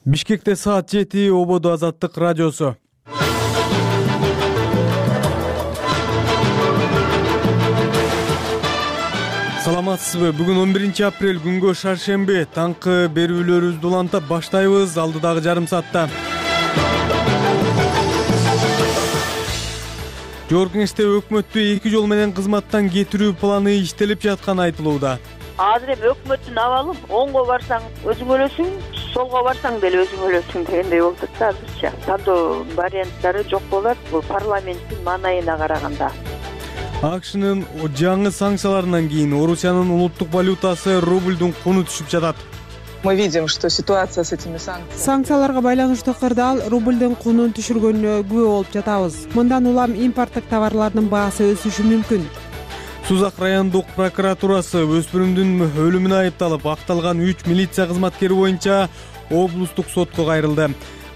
Бишкекте саат 7 Ободо Азаттык радиосу. Саламатсызбы? Бүгүн 11 апрель күнгө шаршемби. Таңкы берүүлөрүбүздү улантып баштайбыз алдыдагы жарым саатта. Жогорку Кеңеште өкмөттү 2 жол менен кызматтан кетирүү планы иштелип жатканы айтылууда. Азыр эми өкмөттүн абалы оңго барсаң өзүң өлөсүң, солго барсаң деле өзүң өлөсүң дегендей болуп атат азырча. Тандоо варианттары жок болот бул парламенттин маанайына караганда. АКШнын жаңы санкцияларынан кийин Орусиянын улуттук валютасы рубльдун куну түшүп жатат. Мы видим, что ситуация с этими санкциями. Санкцияларга байланыштуу кырдаал рубльдун кунун түшүргөнүнө күбө болуп жатабыз. Мындан улам импорттук товарлардын баасы өсүшү мүмкүн. Сузак райондук прокуратурасы өспүрүмдүн өлүмүнө айыпталып акталган 3 милиция кызматкери боюнча облустук сотко кайрылды.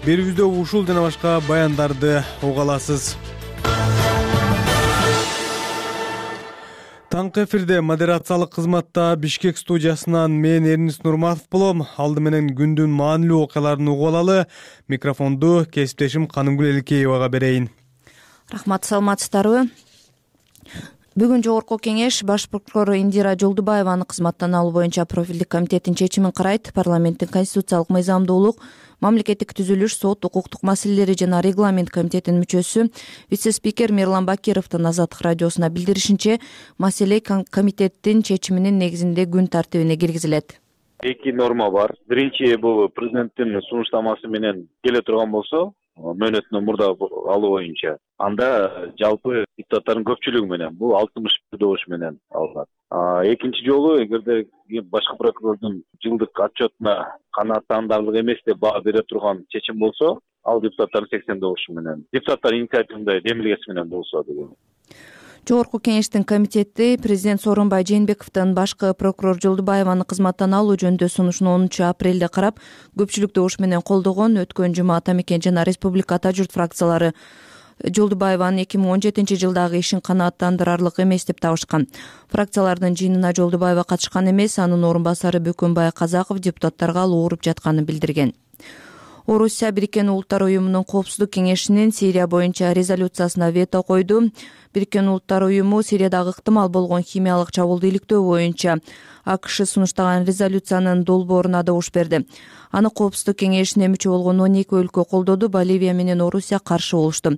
Берүүбүздө ушул жана башка баяндарды уга аласыз. Таңкы эфирде модерациялык кызматта Бишкек студиясынан мен Эрнис Нурматов болом. Алды менен күндүн маанилүү окуяларын угуп алалы. Микрофонду кесиптешим Канымгүл Эликеевага берейин. Рахмат, саламатсыздарбы? Бүгүн Жогорку Кеңеш баш прокурор Индира Жолдубаеваны кызматтан алуу боюнча профилдик комитеттин чечимин карайт. Парламенттин конституциялык мыйзамдуулук, мамлекеттик түзүлүш, сот, укуктук маселелери жана регламент комитетинин мүчөсү вице-спикер Мирлан Бакировдун Азаттык радиосуна билдиришинче, маселе комитеттин чечиминин негизинде күн тартибине киргизилет. Эки норма бар. Биринчи бул президенттин сунуштамасы менен келе турган болсо, мөөнөтүнөн мурда алуу боюнча, анда жалпы депутаттардын көпчүлүгү менен бул 61 добуш менен алынат. Экинчи жолу эгерде башкы прокурордун жылдык отчетуна канааттандарлык эмес деп баа бере турган чечим болсо, ал депутаттардын 80 добушу менен, депутаттар инициативында демилгеси менен болсо деген. Жогорку Кеңештин комитети президент Сооронбай Жээнбековдун башкы прокурор Жолдубаеваны кызматтан алуу жөнүндө сунушун 10 апрелде карап, көпчүлүк добуш менен колдогон. Өткөн жума Атамекен жана Республика Ата журт фракциялары Жолдубаеванын 2017 жылдагы ишин канааттандырарлык эмес деп табышкан. Фракциялардын жыйынына Жолдубаева катышкан эмес, анын орун басары Бөкөнбай Казаков депутаттарга ал ооруп жатканын билдирген. Орусия Бириккен Улуттар Уюмунун Коопсуздук кеңешинин Сирия боюнча резолюциясына вето койду. Бириккен Улуттар Уюму Сириядагы ыктымал болгон химиялык чабуулду иликтөө боюнча АКШ сунуштаган резолюциянын долбооруна добуш берди. Аны Коопсуздук кеңешине мүчө болгон 12 өлкө колдоду, Боливия менен Орусия каршы болушту.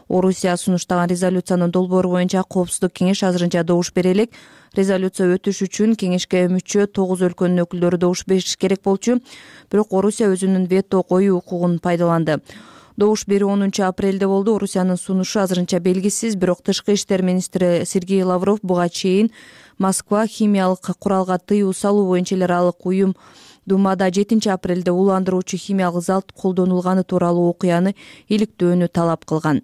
Орусия сунуштаган резолюциянын долбоору боюнча Коопсуздук кеңеш азырынча добуш бере элек. Резолюция өтүш үчүн кеңешке мүчө 9 өлкөнүн өкүлдөрү добуш бериши керек болчу, бирок Орусия өзүнүн вето коюу укугун пайдаланды. Добуш берүү 10 апрелде болду. Орусиянын сунушу азырынча белгисиз, бирок Тышкы иштер министри Сергей Лавров буга чейин Москва химиялык куралга тыюу салуу боюнча эл аралык уюм Думада 7 апрелде уландыруучу химиялык залт колдонулганы тууралуу окуяны иликтөөнү талап кылган.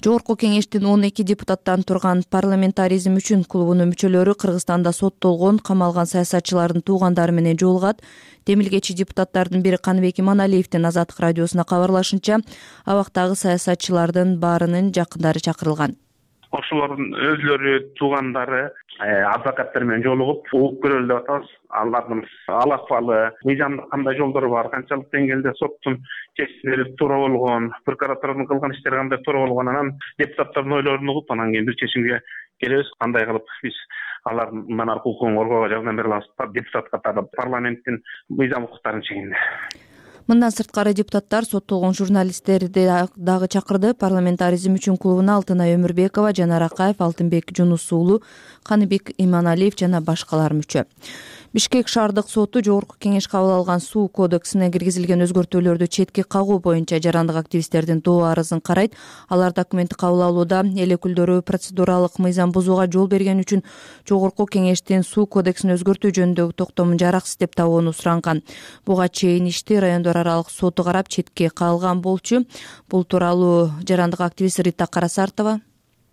Жогорку Кеңештин 12 депутаттан турган парламентаризм үчүн клубунун мүчөлөрү Кыргызстанда соттолгон, камалган саясатчылардын туугандары менен жолугат. Демилгечи депутаттардын бири Каныбек Иманалиевдин Азаттык радиосуна кабарлашынча, абактагы саясатчылардын баарынын жакындары чакырылган. Ошолордун өзлөрү, туугандары, адвокаттар менен жолугуп, угуп көрөлү деп атабыз. Алардын ал акыбалы, мыйзамдык кандай жолдору бар, канчалык деңгээлде соттун чечимдери туура болгон, прокуратуранын кылган иштери кандай туура болгон, анан депутаттардын ойлорун угуп, анан кийин бир чечимге келебиз. Кандай кылып биз алардын мындан аркы укугун коргоого жардам бере алабыз, депутат катары парламенттин мыйзам укуктарынын чегинде. Мындан сырткары депутаттар соттолгон журналисттерди дагы чакырды. Парламентаризм үчүн клубуна Алтынай Өмүрбекова, Жанар Акаев, Алтынбек Жунус уулу, Каныбек Иманалиев жана башкалар мүчө. Бишкек шаардык соту Жогорку Кеңеш кабыл алган суу кодексине киргизилген өзгөртүүлөрдү четке кагуу боюнча жарандык активисттердин доо арызын карайт. Алар документти кабыл алууда эл өкүлдөрү процедуралык мыйзам бузууга жол берген үчүн Жогорку Кеңештин суу кодексин өзгөртүү жөнүндөгү токтомун жараксыз деп табууну суранган. Буга чейин ишти райондор аралык соту карап четке кагылган болчу. Бул тууралуу жарандык активист Рита Карасартова.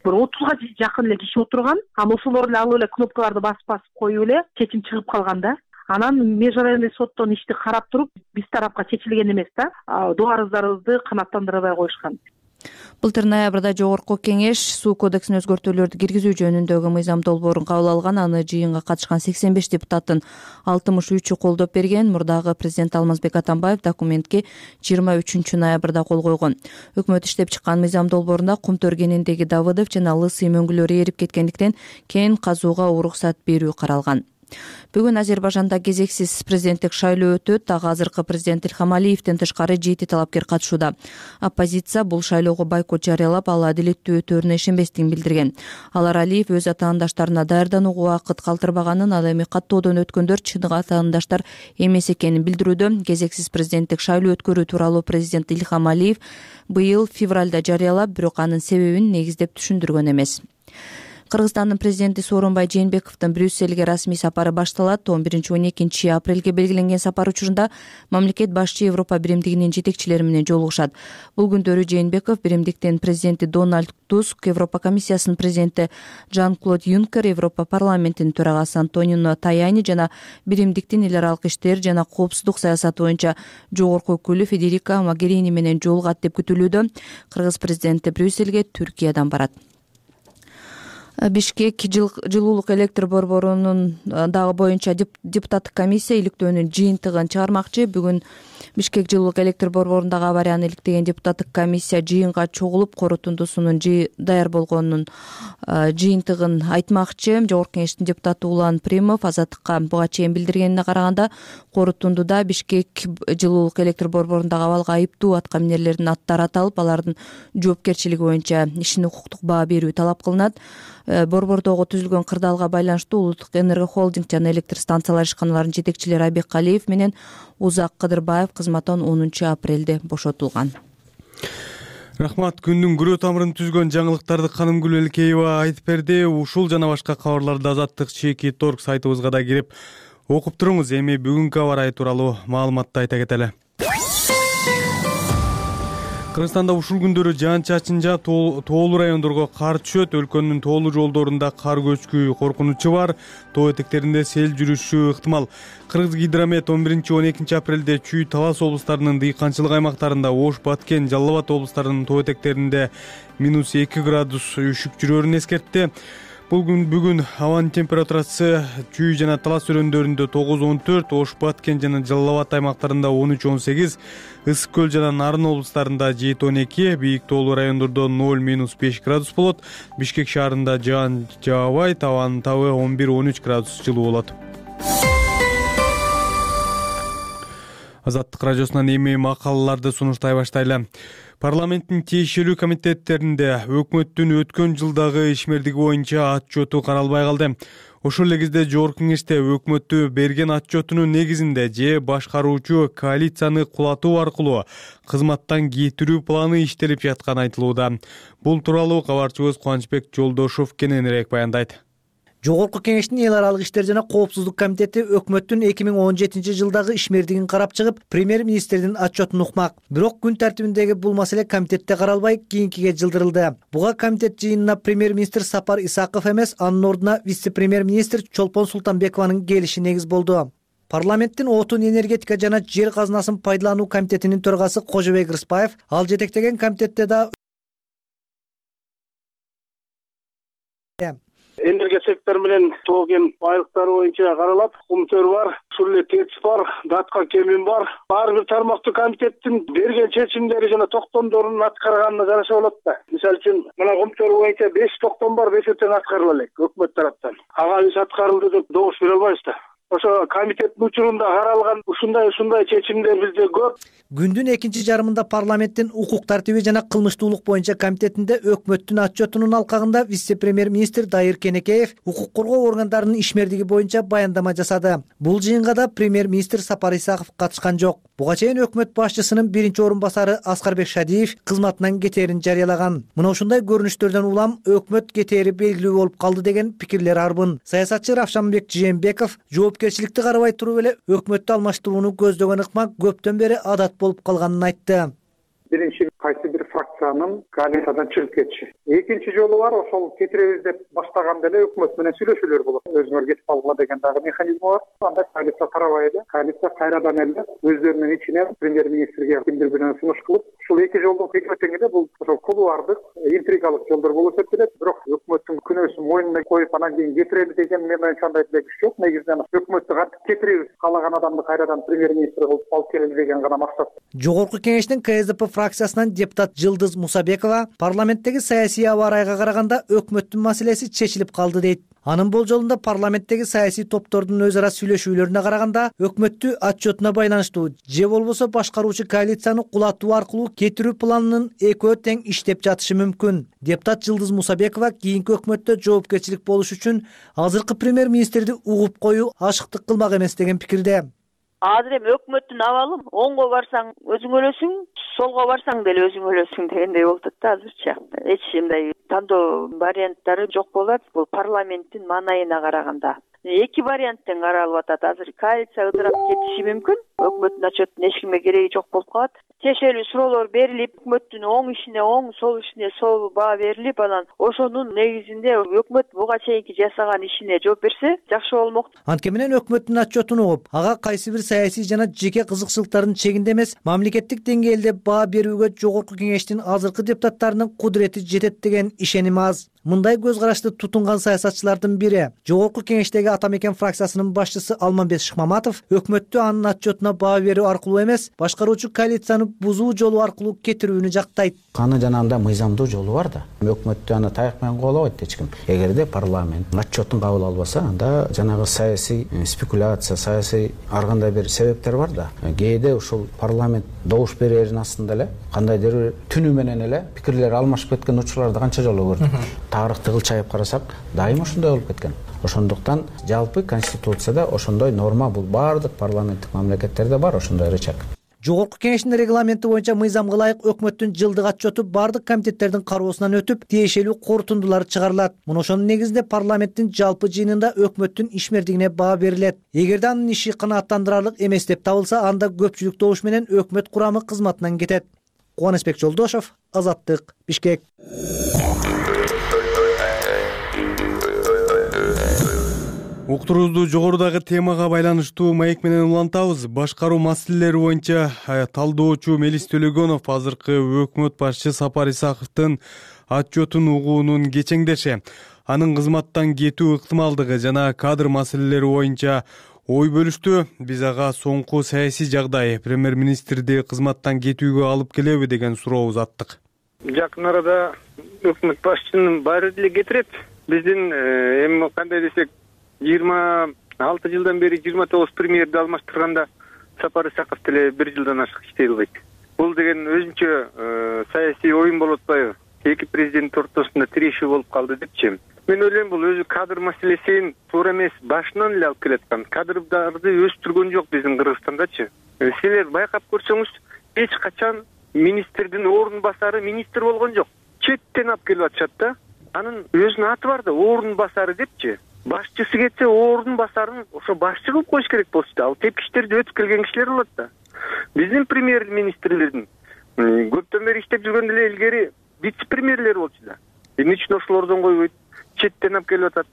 30га жакын эле киши отурган, ошолор эле алып эле кнопкаларды басып коюп эле чечим чыгып калган да. Анан межрайонный соттон ишти карап туруп, биз тарапка чечилген эмес да. Доо арыздарыбызды канааттандырбай коюшкан. Былтыр ноябрда Жогорку Кеңеш суу кодексине өзгөртүүлөрдү киргизүү жөнүндөгү мыйзам долбоорун кабыл алган. Аны жыйынга катышкан 85 депутаттын 63-ü колдоп берген. Мурдагы президент Алмазбек Атамбаев документке 23 ноябрда кол койгон. Өкмөт иштеп чыккан мыйзам долбоорунда Кумтөр кениндеги Давыдов жана Лысый мөңгүлөрү эрип кеткендиктен кен казууга уруксат берүү каралган. Бүгүн Азербайжанда кезексиз президенттик шайлоо өтөт. Дагы азыркы президент Ильхам Алиевден тышкары 7 талапкер катышууда. Оппозиция бул шайлоого бойкот жарыялап, ал адилеттүү өтөөрүнө ишенбестигин билдирген. Алар Алиев өз атаандаштарына даярданууга убакыт калтырбаганын, ал эми каттоодон өткөндөр чын атаандаштар эмес экенин билдирүүдө. Кезексиз президенттик шайлоо өткөрүү тууралуу президент Ильхам Алиев быйыл февралда жарыялап, бирок анын себебин негиздеп түшүндүргөн эмес. Кыргызстандын президенти Сооронбай Жээнбековдун Брюссельге расмий сапары башталат. 11-12 апрелге белгиленген сапар учурунда мамлекет башчы Европа биримдигинин жетекчилери менен жолугушат. Бул күндөрү Жээнбеков биримдиктин президенти Дональд Туск, Европа комиссиясынын президенти Жан-Клод Юнкер, Европа парламентинин төрагасы Антонио Таяни жана биримдиктин эл аралык иштер жана коопсуздук саясаты боюнча жогорку өкүлү Федерика Могерини менен жолугат деп күтүлүүдө. Кыргыз президенти Брюссельге Түркиядан барат. Бишкек жылуулук электр борборунун дагы боюнча депутаттык комиссия иликтөөнүн жыйынтыгын чыгармакчы. Бүгүн Бишкек жылуулук электр борборундагы аварияны иликтеген депутаттык комиссия жыйынга чогулуп, корутундусунун даяр болгонунун жыйынтыгын айтмакчы. Жогорку Кеңештин депутаты Улан Примов Азаттыкка буга чейин билдиргенине караганда, корутундуда Бишкек жылуулук электр борборундагы абалга айыптуу аткаминерлердин аттары аталып, алардын жоопкерчилиги боюнча ишин укуктук баа берүү талап кылынат. Борбордогу түзүлгөн кырдаалга байланыштуу Улуттук Энерго Холдинг жана электр станциялар ишканаларынын жетекчилери Айбек Калиев менен Узак Кыдырбаев кызматтан 10 апрелде бошотулган. Рахмат. Күндүн күрөө тамырын түзгөн жаңылыктарды Канымгүл Элкеева айтып берди. Ушул жана башка кабарларды Азаттык ЧК.org сайтыбызга да кирип окуп туруңуз. Эми бүгүнкү аба ырайы тууралуу маалыматты айта кетели. Кыргызстанда ушул күндөрү жаан-чачын жаап, тоолуу райондорго кар түшөт. Өлкөнүн тоолуу жолдорунда кар көчкү коркунучу бар. Тоо этектеринде сел жүрүшү ыктымал. Кыргызгидромет 11-12 апрелде Чүй, Талас облустарынын дыйканчылык аймактарында, Ош, Баткен, Жалал Абад облустарынын тоо этектеринде -2 градус үшүк жүрөөрүн эскертти. Бүгүн абанын температурасы Чүй жана Талас өрөөндөрүндө 9-14, Ош, Баткен жана Жалал Абад аймактарында 13-18, Ысык көл жана Нарын облустарында 7-12, бийик тоолуу райондордо 0-5 градус болот. Бишкек шаарында жаан жаабайт, абанын табы 11-13 градус жылуу болот. Азаттык радиосунан эми макалаларды сунуштай баштайлы. Парламенттин тиешелүү комитеттеринде өкмөттүн өткөн жылдагы ишмердиги боюнча отчету каралбай калды. Ошол эле кезде Жогорку Кеңеште өкмөттү берген отчетунун негизинде же башкаруучу коалицияны кулатуу аркылуу кызматтан кетирүү планы иштелип жатканы айтылууда. Бул тууралуу кабарчыбыз Кубанычбек Жолдошов кененирээк баяндайт. Жогорку Кеңештин эл аралык иштер жана коопсуздук комитети өкмөттүн 2017 жылдагы ишмердигин карап чыгып, премьер-министрдин отчетун укмак. Бирок күн тартибиндеги бул маселе комитетте каралбай, кийинкиге жылдырылды. Буга комитет жыйынына премьер-министр Сапар Исаков эмес, анын ордуна вице-премьер-министр Чолпон Султанбекованын келиши негиз болду. Парламенттин отун, энергетика жана жер казынасын пайдалануу комитетинин төрагасы Кожобек Рыспаев ал жетектеген комитетте да энергия сектору менен тоо кен байлыктары боюнча каралат. Кумтөр бар, ушул эле ТЭЦ бар, Датка кемин бар. Ар бир тармактуу комитеттин берген чечимдери жана токтомдорун аткарганына караша болот да. Мисалы үчүн, мына Кумтөр боюнча 5 токтом бар, 5 тең аткарыла элек өкмөт тараптан. Ага биз аткарылды деп добуш бере албайбыз да. Ошо комитеттин учурунда каралган ушундай чечимдер бизде көп. Күндүн экинчи жарымында парламенттин укук тартиби жана кылмыштуулук боюнча комитетинде өкмөттүн отчетунун алкагында вице-премьер-министр Дайыр Кенекеев укук коргоо органдарынын ишмердиги боюнча баяндама жасады. Бул жыйынга да премьер-министр Сапар Исаков катышкан жок. Буга чейин өкмөт башчысынын биринчи орун басары Аскарбек Шадиев кызматынан кетээрин жарыялаган. Мына ушундай көрүнүштөрдөн улам өкмөт кетери белгилүү болуп калды деген пикирлер арбын. Саясатчы Равшанбек Жээнбеков жоопкерчиликти карабай туруп эле өкмөттү алмаштырууну көздөгөн ыкма көптөн бери адат болуп калганын айтты. Биринчи кайсы бир фракция фракциянын коалициядан чыгып кетиши. Экинчи жолу бар, ошол кетиребиз деп баштаганда эле өкмөт менен сүйлөшүүлөр болот. Өзүңөр кетип калгыла деген дагы механизм бар. Анда коалиция тарабай эле, коалиция кайрадан эле өздөрүнүн ичинен премьер-министрге кимдир бирөө сунуш кылып, ушул эки жолдун экөө эле бул ошол кулуардык, интригалык жолдор болуп эсептелет. Бирок өкмөттүн күнөөсүн мойнуна коюп анан кийин кетиребиз деген мен менче андай күч жок. Негизинен өкмөттү кантип кетиребиз, каалаган адамды кайрадан премьер-министр кылып алып келели деген гана максат. Жогорку кеңештин КСДП фракциясынан депутат Жылдыз Мусабекова парламенттеги саясий аба ырайга караганда өкмөттүн маселеси чечилип калды дейт. Анын болжолунда парламенттеги саясий топтордун өз ара сүйлөшүүлөрүнө караганда өкмөттү отчетуна байланыштуу же болбосо башкаруучу коалицияны кулатуу аркылуу кетирүү планынын экөө тең иштеп жатышы мүмкүн. Депутат Жылдыз Мусабекова кийинки өкмөттө жоопкерчилик болуш үчүн азыркы премьер-министрди угуп коюу ашыктык кылмак эмес деген пикирде. Азыр эми өкмөттүн абалы оңго барсаң өзүң өлөсүң, солго барсаң деле өзүң өлөсүң дегендей болуп атат да азырча. Эч мындай тандоо варианттары жок болот бул парламенттин маанайына караганда. Эки вариант тең каралып атат. Азыр коалиция ыдырап кетиши мүмкүн. Өкмөттүн отчетунун эч кимге кереги жок болуп калат. Тиешелүү суроолор берилип, өкмөттүн оң ишине оң, сол ишине сол баа берилип, анан ошонун негизинде өкмөт буга чейинки жасаган ишине жооп берсе жакшы болмок. Антке менен өкмөттүн отчетун угуп, ага кайсы бир саясий жана жеке кызыкчылыктардын чегинде эмес, мамлекеттик деңгээлде баа берүүгө жогорку кеңештин азыркы депутаттарынын кудурети жетет деген ишеним аз. Мындай көз карашты тутунган саясатчылардын бири жогорку кеңештеги Ата Мекен фракциясынын башчысы Алмамбет Шыкмаматов өкмөттү анын отчетуна баа берүү аркылуу эмес, башкаруучу коалицияны бузуу жолу аркылуу кетирүүнү жактайт. Аны жана анда мыйзамдуу жолу бар да. Өкмөттү аны таяк менен коолобойт эч ким. Эгерде парламент отчетун кабыл албаса, анда жанагы саясий спекуляция, саясий ар кандай бир себептер бар да. Кээде ушул парламент добуш берерин астында эле кандайдыр бир түнү менен эле пикирлер алмашып кеткен учурларды канча жолу көрдүк. Тарыхты кылчайып карасак, дайым ошондой болуп кеткен. Ошондуктан жалпы конституцияда ошондой норма бул баардык парламенттик мамлекеттерде бар ошондой рычаг. Жогорку кеңештин регламенти боюнча мыйзамга ылайык өкмөттүн жылдык отчету баардык комитеттердин кароосунан өтүп, тиешелүү корутундулар чыгарылат. Мына ошонун негизинде парламенттин жалпы жыйынында өкмөттүн ишмердигине баа берилет. Эгерде анын иши канааттандырарлык эмес деп табылса, анда көпчүлүк добуш менен өкмөт курамы кызматынан кетет. Кубанычбек Жолдошов, Азаттык, Бишкек. Уктуруубузду жогорудагы темага байланыштуу маек менен улантабыз. Башкаруу маселелери боюнча талдоочу Мелис Төлөгөнов азыркы өкмөт башчы Сапар Исаковдун отчетун угуунун кечеңдеши, анын кызматтан кетүү ыктымалдыгы жана кадр маселелери боюнча ой бөлүштү. Биз ага соңку саясий жагдай премьер-министрди кызматтан кетүүгө алып келеби деген суроо узаттык. Жакын арада өкмөт башчынын баары деле кетирет. Биздин эми кандай десек 26 жылдан бери 29 премьерди алмаштырганда Сапар Исаков деле 1 жылдан ашык иштей албайт. Бул деген өзүнчө саясий оюн болуп атпайбы? Эки президент ортосунда тирешүү болуп калды депчи. Мен ойлойм, бул өзү кадр маселесин туура эмес, башынан эле алып келаткан. Кадрдарды өстүргөн жок биздин Кыргызстандачы. Силер байкап көрсөңүз, эч качан министрдин орун басары министр болгон жок. Четтен алып келип атышат да. Анын өзүнүн аты бар да, орун басары депчи. Башчысы кетсе орун басарын ошо башчы кылып коюш керек болчу да. Ал тепкичтерди өтүп келген кишилер болот да. Биздин премьер-министрлердин көптөн бери иштеп жүргөн деле илгери вице-премьерлер болчу да. Эмне үчүн ошолордон койбойт? Четтен алып келип атат.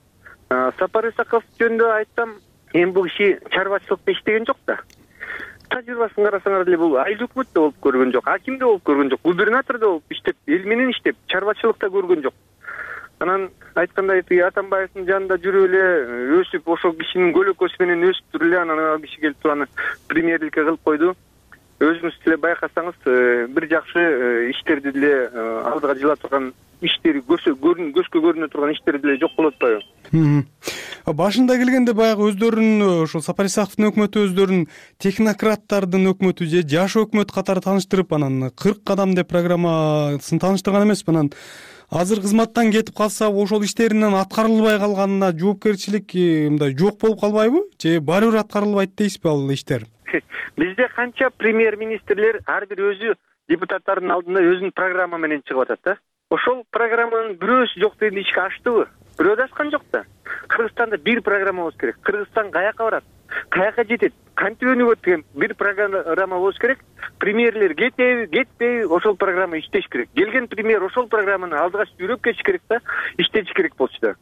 Сапар Исаков жөнүндө айтсам, эми бул киши чарбачылыкта иштеген жок да. Тажрыйбасын карасаңар деле бул айыл өкмөттө болуп көргөн жок, акимде болуп көргөн жок, губернатордо болуп иштеп, эл менен иштеп, чарбачылыкта көргөн жок. Анан айткандай Атамбаевдин жанында жүрүп эле өсүп, ошол кишинин көлөкөсү менен өсүп туруп эле анан ал киши келип туруп аны премьерликке кылып койду. Өзүңүз деле байкасаңыз, бир жакшы иштерди деле алдыга жыла турган иштери көзгө көрүнө турган иштери деле жок болуп атпайбы? Башында келгенде баягы өздөрүн ошол Сапар Исаковдун өкмөтү өздөрүн технократтардын өкмөтү же жаш өкмөт катары тааныштырып, анан 40 кадам деп программасын тааныштырган эмеспи? Анан азыр кызматтан кетип калса, ошол иштеринен аткарылбай калганына жоопкерчилик мындай жок болуп калбайбы? Же баары бир аткарылбайт дейсизби ал иштер? Бизде канча премьер-министрлер ар бир өзү депутаттардын алдында өзүнүн программа менен чыгып атат да. Ошол программанын бирөөсү жок дегенде ишке аштыбы? Бирөө да ашкан жок да. Кыргызстанда бир программа болуш керек. Кыргызстан каяка барат? каяка жетет, кантип өнүгөт деген бир программа болуш керек. Премьерлер кетпей ошол программа иштеш керек. Келген премьер ошол программаны алдыга жүрөп кетиш керек да, иштетиш керек болчу да.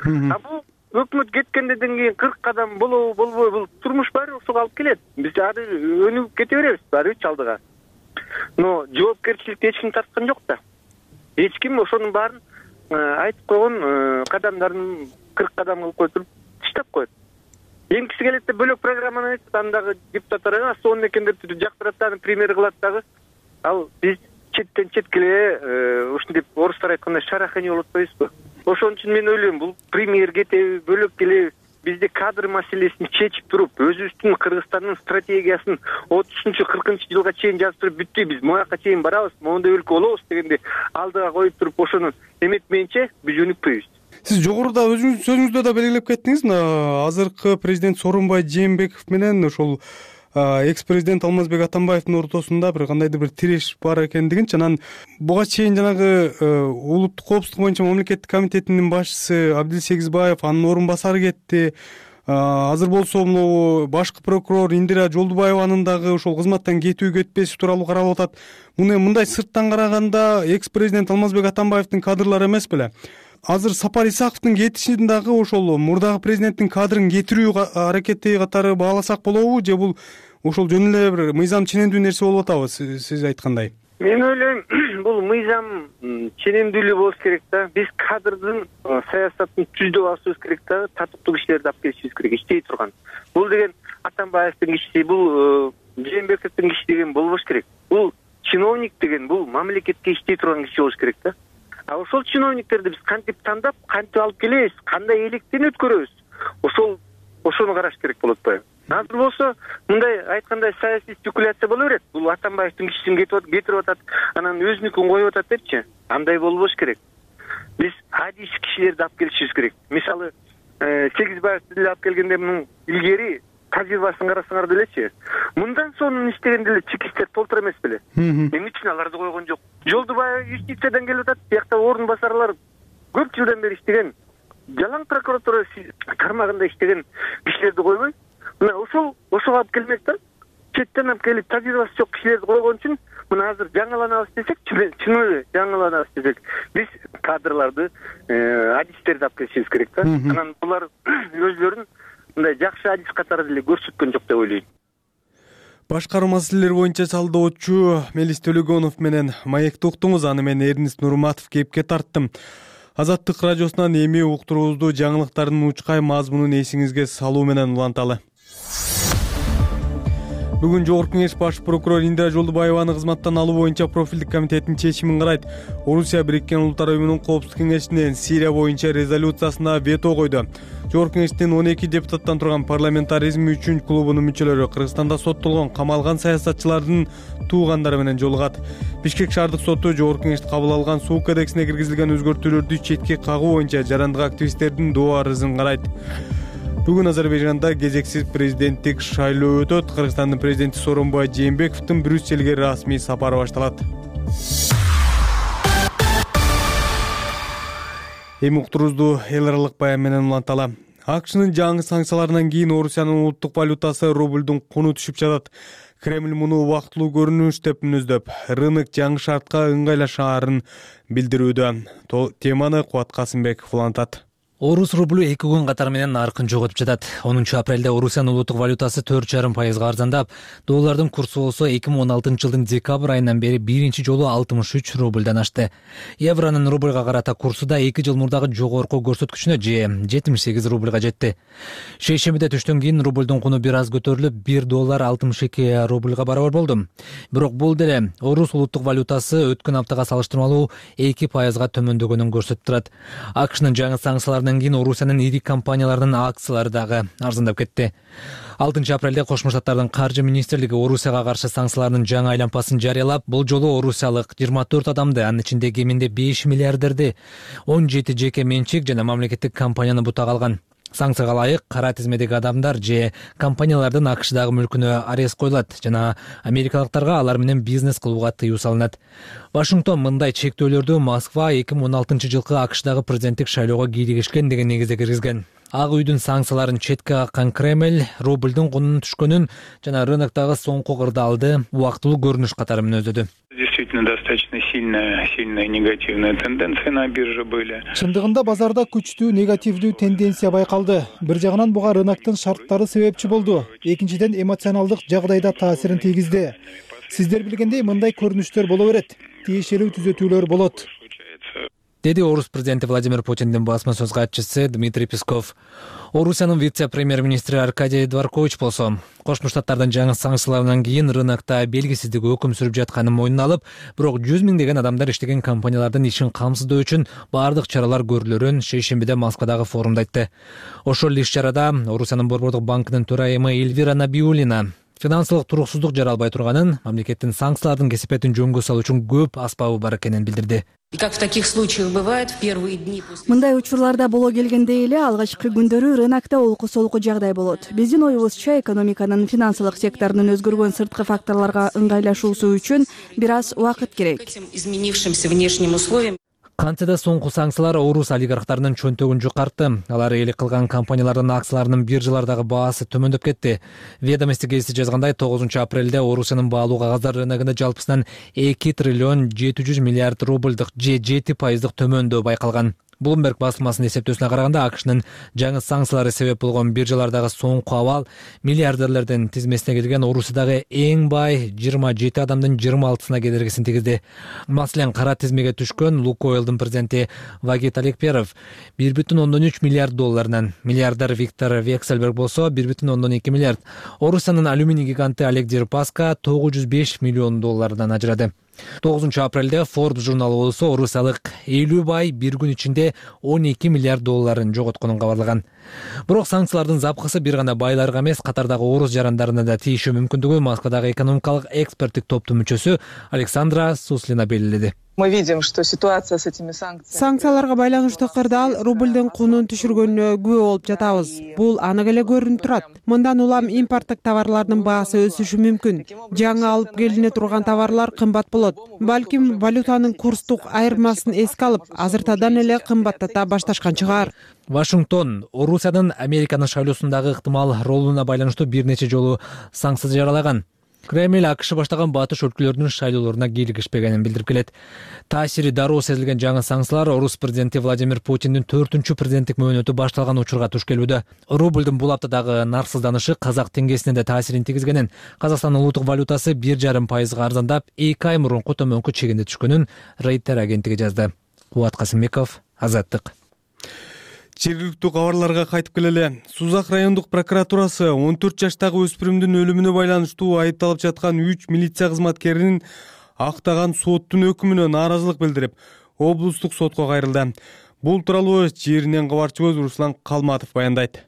А бул өкмөт кеткенден кийин 40 кадам болобу болбойбу, бул турмуш баары ошого алып келет. Биз ары өнүгүп кете беребиз баарыбыз алдыга. Но жоопкерчиликти эч ким тарткан жок да. Эч ким ошонун баарын айтып койгон кадамдарын 40 кадам кылып кое туруп таштап коет. Эң киши келет да бөлөк программаны айтып, андагы депутаттар сонун экен деп жактырат да, аны премьер кылат дагы. Ал биз четтен четке эле ушинтип орустар айткандай шарахани болуп атпайбызбы? Ошон үчүн мен ойлойм, бул премьер кетеби, бөлөк келеби, бизде кадр маселесин чечип туруп, өзүбүздүн Кыргызстандын стратегиясын 30-40-жылга чейин жазып туруп бүттү, биз мояка чейин барабыз, моундай өлкө болобуз дегенде алдыга коюп туруп ошону эметмейинче биз өнүкпөйбүз. Сиз жогоруда өзүңүздүн сөзүңүздө да белгилеп кеттиңиз, мына азыркы президент Сооронбай Жээнбеков менен ошол экс-президент Алмазбек Атамбаевдин ортосунда бир кандайдыр бир тиреш бар экендигинчи, анан буга чейин жанагы улуттук коопсуздук боюнча мамлекеттик комитетинин башчысы Абдил Сегизбаев, анын орун басары кетти. Азыр болсо могу башкы прокурор Индира Жолдубаеванын дагы ошол кызматтан кетүү кетпеси тууралуу каралып атат. Муну мындай сырттан караганда экс-президент Алмазбек Атамбаевдин кадрлары эмес беле? Азыр Сапар Исаковдун кетишин дагы ошол мурдагы президенттин кадрын кетирүү аракети катары бааласак болобу, же бул ошол жөн эле бир мыйзам ченемдүү нерсе болуп атабы, сиз айткандай? Мен ойлойм, бул мыйзам ченемдүүлүгү болуш керек да. Биз кадрдын саясатын түздөп алышыбыз керек да, татыктуу кишилерди алып келишибиз керек, иштей турган. Бул деген Атамбаевдин киши, бул Жээнбековдун киши деген болбош керек. Бул чиновник деген бул мамлекетке иштей турган киши болуш керек да. А ошол чиновниктерди биз кантип тандап, кантип алып келебиз, кандай электен өткөрөбүз, ошону караш керек болот атпайбы? Азыр болсо мындай айткандай саясий спекуляция боло берет. Бул Атамбаевдин кишисин кетирип атат, анан өзүнүкүн коюп атат депчи. Андай болбош керек. Биз адис кишилерди алып келишибиз керек. Мисалы, Сегизбаевди деле алып келгенде мунун илгери тажрыйбасын карасаңар делечи. Мындан сонун иштеген деле чекистер толтур эмес беле? Эмне үчүн аларды койгон жок? Жолдубаев юстициядан келип атат, биякта орун басарлар көп жылдан бери иштеген, жалаң прокуратура тармагында иштеген кишилерди койбой, мына ошого алып келмек да. Четтен алып келип тажрыйбасы жок кишилерди койгон үчүн мына азыр жаңыланабыз десек, чын эле жаңыланабыз десек, биз кадрларды, адистерди алып келишибиз керек да. Анан булар өзлөрүн мындай жакшы адис катары деле көрсөткөн жок деп ойлойм. Башкаруу маселелери боюнча салдоочу Мелис Төлөгөнов менен маекти уктуңуз. Аны мен Эрнист Нурматов кепке тарттым. Азаттык радиосунан эми уктуруубузду жаңылыктардын учкай мазмунун эсиңизге салуу менен уланталы. Бүгүн Жогорку Кеңеш баш прокурор Индира Жолдубаеваны кызматтан алуу боюнча профилдик комитеттин чечимин карайт. Орусия Бириккен Улуттар Уюмунун Коопсуздук кеңешинин Сирия боюнча резолюциясына вето койду. Жогорку Кеңештин 12 депутаттан турган парламентаризм үчүн клубунун мүчөлөрү Кыргызстанда соттолгон камалган саясатчылардын туугандары менен жолугат. Бишкек шаардык соту Жогорку Кеңеште кабыл алган суу кодексине киргизилген өзгөртүүлөрдү четке кагуу боюнча жарандык активисттердин доо арызын карайт. Бүгүн Азербайжанда кезексиз президенттик шайлоо өтөт. Кыргызстандын президенти Сооронбай Жээнбековдун Брюссельге расмий сапары башталат. Эми уктуруубузду эл аралык баян менен уланталы. АКШнын жаңы санкцияларынан кийин Орусиянын улуттук валютасы рублдун куну түшүп жатат. Кремль муну убактылуу көрүнүш деп мүнөздөп, рынок жаңы шартка ыңгайлашаарын билдирүүдө. Теманы Кубат Касымбеков улантат. Орус рублю 2 күн катары менен наркын жоготуп жатат. 10 апрелде Орусиянын улуттук валютасы 4,5% арзандап, доллардын курсу болсо 2016 жылдын декабрь айынан бери биринчи жолу 63 рубльдан ашты. Евронун рубльга карата курсу да 2 жыл мурдагы жогорку көрсөткүчүнө же 78 рубльга жетти. Шейшембиде түштөн кийин рубльдун куну бир аз көтөрүлүп, 1 доллар 62 рубльга барабар болду. Бирок бул деле Орус улуттук валютасы өткөн аптага салыштырмалуу 2%га төмөндөгөнүн көрсөтүп турат. АКШнын жаңы санкцияларынан кийин Орусиянын ири компанияларынын акциялары дагы арзандап кетти. 6 апрелде Кошмо Штаттардын каржы министрлиги Орусияга каршы санкциялардын жаңы айлампасын жарыялап, бул жолу орусиялык 24 адамды, анын ичинде кеминде 5 миллиардерди, 17 жеке менчик жана мамлекеттик компанияны бутага алган. Санкцияга ылайык кара тизмедеги адамдар же компаниялардын АКШдагы мүлкүнө арест коюлат жана америкалыктарга алар менен бизнес кылууга тыюу салынат. Вашингтон мындай чектөөлөрдү Москва 2016 жылкы АКШдагы президенттик шайлоого кийлигишкен деген негизде киргизген. Ак үйдүн санкцияларын четке каккан Кремль рубльдин кунунун түшкөнүн жана рыноктогу соңку кырдаалды убактылуу көрүнүш катары мүнөздөдү. Действительно, достаточно сильная негативная тенденция на бирже были. Чындыгында базарда күчтүү негативдүү тенденция байкалды. Бир жагынан буга рыноктун шарттары себепчи болду. Экинчиден эмоционалдык жагдайда таасирин тийгизди. Сиздер билгендей мындай көрүнүштөр боло берет. Тиешелүү түзөтүүлөр болот, деди Орус президенти Владимир Путиндин басма сөз катчысы Дмитрий Песков. Орусиянын вице-премьер-министри Аркадий Дворкович болсо, Кошмо Штаттардын жаңы санкцияларынан кийин рынокто белгисиздик өкүм сүрүп жатканын мойнуна алып, бирок 100 миңдеген адамдар иштеген компаниялардын ишин камсыздоо үчүн баардык чаралар көрүлөрүн шейшембиде Москвадагы форумда айтты. Ошол иш-чарада Орусиянын Борбордук банкынын төрайымы Эльвира Набиуллина финансылык туруксуздук жаралбай турганын, мамлекеттин санкциялардын кесепетин жөнгө салуу үчүн көп аспабы бар экенин билдирди. Как в таких случаях бывает, в первые дни мындай учурларда боло келгендей эле алгачкы күндөрү рынокто олку-солку жагдай болот. Биздин оюбузча экономиканын финансылык секторунун өзгөргөн сырткы факторлорго ыңгайлашуусу үчүн бир аз убакыт керек. Изменившимся внешним условиям Кантсе да соңку санкциялар орус олигархтарынын чөнтөгүн жукартты. Алар ээлик кылган компаниялардын акцияларынын биржалардагы баасы төмөндөп кетти. Ведомости гезити жазгандай 9 апрелде Орусиянын баалуу кагаздар рыногунда жалпысынан 2 триллион 700 миллиард рубльдык же 7% төмөндөө байкалган. Bloomberg басылмасынын эсептөөсүнө караганда АКШнын жаңы санкциялары себеп болгон биржалардагы соңку абал миллиардерлердин тизмесине кирген Орусиядагы эң бай 27 адамдын 26-сына кедергисин тийгизди. Маселен, кара тизмеге түшкөн Лукойлдун президенти Вагит Алекперов 1,3 миллиард долларынан, миллиардер Виктор Вексельберг болсо 1,2 миллиард, Орусиянын алюминий гиганты Олег Дерипаска 905 миллион доллардан ажырады. 9 апрелде Forbes журналы болсо орусиялык 50 бай бир күн ичинде 12 миллиард долларын жоготконун кабарлаган. Бирок санкциялардын запкысы бир гана байларга эмес, катардагы орус жарандарына да тийиши мүмкүндүгү Москвадагы экономикалык эксперттик топтун мүчөсү Александра Суслина белгиледи. Мы видим, что ситуация с этими санкциями. Санкцияларга байланыштуу кырдаал рубльдин кунун түшүргөнүнө күбө болуп жатабыз. Бул анык эле көрүнүп турат. Мындан улам импорттук товарлардын баасы өсүшү мүмкүн. Жаңы алып келине турган товарлар кымбат болот. Балким валютанын курстук айырмасын эске алып, азыртадан эле кымбаттата башташкан чыгар. Вашингтон Орусиянын Американын шайлоосундагы ыктымал ролуна байланыштуу бир нече жолу санкция жаралаган. Кремль АКШ баштаган батыш өлкөлөрүнүн шайлоолоруна кийлигишпегенин билдирип келет. Таасири дароо сезилген жаңы санкциялар Орус президенти Владимир Путиндин 4-чү президенттик мөөнөтү башталган учурга туш келүүдө. Рубльдин бул аптадагы нарсызданышы казак теңгесине да таасирин тийгизгенин, Казакстандын улуттук валютасы 1,5% арзандап, 2 ай мурунку төмөнкү чегинде түшкөнүн Рейтер агенттиги жазды. Кубат Касымбеков, Азаттык. Жергиликтүү кабарларга кайтып келели. Сузак райондук прокуратурасы 14 жаштагы өспүрүмдүн өлүмүнө байланыштуу айыпталып жаткан 3 милиция кызматкеринин актаган соттун өкүмүнө нааразылык билдирип, облустук сотко кайрылды. Бул тууралуу жеринен кабарчыбыз Руслан Калматов баяндайт.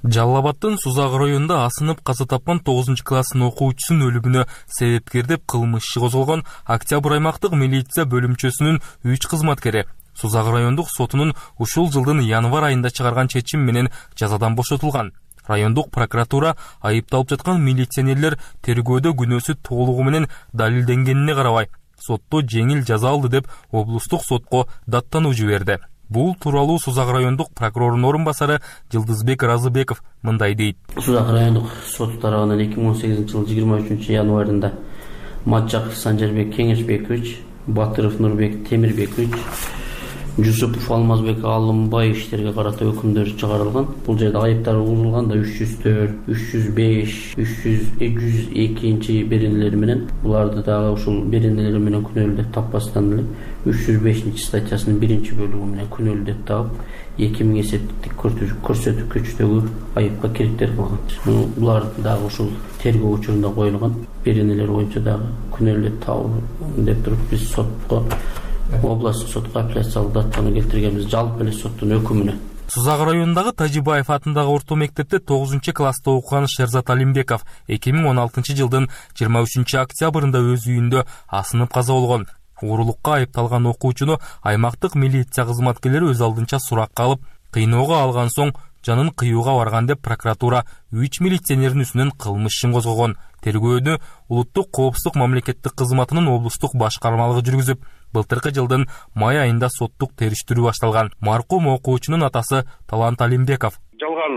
Жалал Абаддын Сузак районунда асынып каза тапкан 9-класстын окуучусунун өлүмүнө себепкер деп кылмыш иши козголгон Октябрь аймактык милиция бөлүмчөсүнүн 3 кызматкери Сузак райондук сотунун ушул жылдын январь айында чыгарган чечим менен жазадан бошотулган. Райондук прокуратура айыпталып жаткан милиционерлер тергөөдө күнөөсү толугу менен далилденгенине карабай, сотто жеңил жаза алды деп облустук сотко даттануу жиберди. Бул тууралуу Сузак райондук прокурорунун орун басары Жылдызбек Разыбеков мындай дейт. Сузак райондук соту тарабынан 2018 жыл 23 январында Матчаков Санжарбек Кеңешбекович, Батыров Нурбек Темирбекович, Жусупов Алмазбек Алымбай иштерге карата өкүмдөр чыгарылган. Бул жерде айыптар угулган да 304, 305, 302 беренелери менен, буларды дагы ушул беренелери менен күнөөлүү деп таппастан эле 305 статьясынын 1-бөлүгү менен күнөөлүү деп таап, 2000 эсептик көрсөткүчтөгү айыпка керектер кылган. Булар дагы ушул тергөө учурунда коюлган беренелер боюнча дагы күнөөлүү деп таап деп туруп биз сотко областтык сотко апелляциялык даттаны келтиргенбиз жалпы эле соттун өкүмүнө. Сузак районундагы Тажибаев атындагы орто мектепте 9-класста окуган Шерзат Алимбеков 2016 жылдын 23 октябрында өз үйүндө асынып каза болгон. Уурулукка айыпталган окуучуну аймактык милиция кызматкерлери өз алдынча суракка алып, кыйноого алган соң жанын кыюуга барган деп прокуратура 3 милиционердин үстүнөн кылмыш ишин козгогон. Тергөөдү улуттук коопсуздук мамлекеттик кызматынын облустук башкармалыгы жүргүзүп, Былтыркы жылдын май айында соттук териштирүү башталган. Маркум окуучунун атасы Талант Алимбеков жалган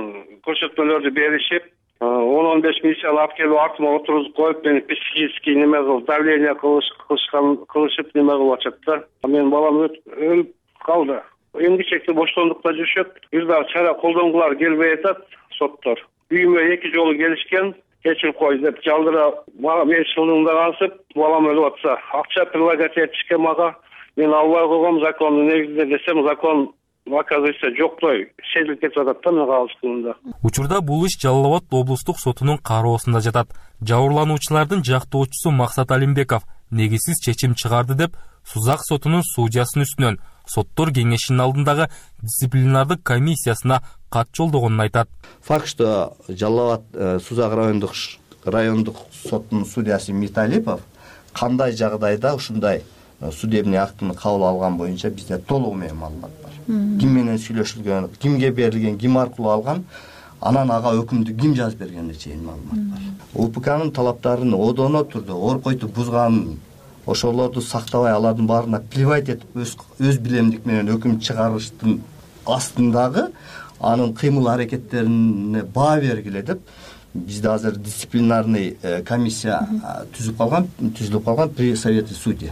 көрсөтмөлөрдү беришип, 10-15 миссия алып келип артыма отургузуп коюп, мени психический неме кылып, давление кылышып неме кылып атышат да. Менин балам өлүп калды. Эмгичекте боштондукта жүрүшөт. Бир дагы чара колдонгулар келбей атат соттор. Үйүмө 2 жолу келишкен, кечирип кой деп жалдыра, мага 5 жылдыгында кансып, балам өлүп атса, акча предлагать этишкен мага. Мен албай койгом закондун негизинде десем, закон оказывается жоктой, сезилип кетип атат да мен калышканымда. Учурда бул иш Жалал Абад облустук сотунун кароосунда жатат. Жабырлануучулардын жактоочусу Максат Алимбеков негизсиз чечим чыгарды деп Сузак сотунун судьясынын үстүнөн соттор кеңешинин алдындагы дисциплинардык комиссиясына кат жолдогонун айтат. Факт, что Жалал Абад Сузак райондук сотунун судьясы Миталипов кандай жагдайда ушундай судебный актыны кабыл алган боюнча бизде толугу менен маалымат бар. Ким менен сүйлөшүлгөн, кимге берилген, ким аркылуу алган, анан ага өкүмдү ким жазып бергенине чейин маалымат бар. УПКнын талаптарын одоно түрдө оркойту бузганын, ошолорду сактабай алардын баарына плевать этип өз билемдик менен өкүм чыгарыштын астындагы анын кыймыл аракеттерине баа бергиле деп бизде азыр дисциплинарный комиссия түзүлүп калган при совете судей.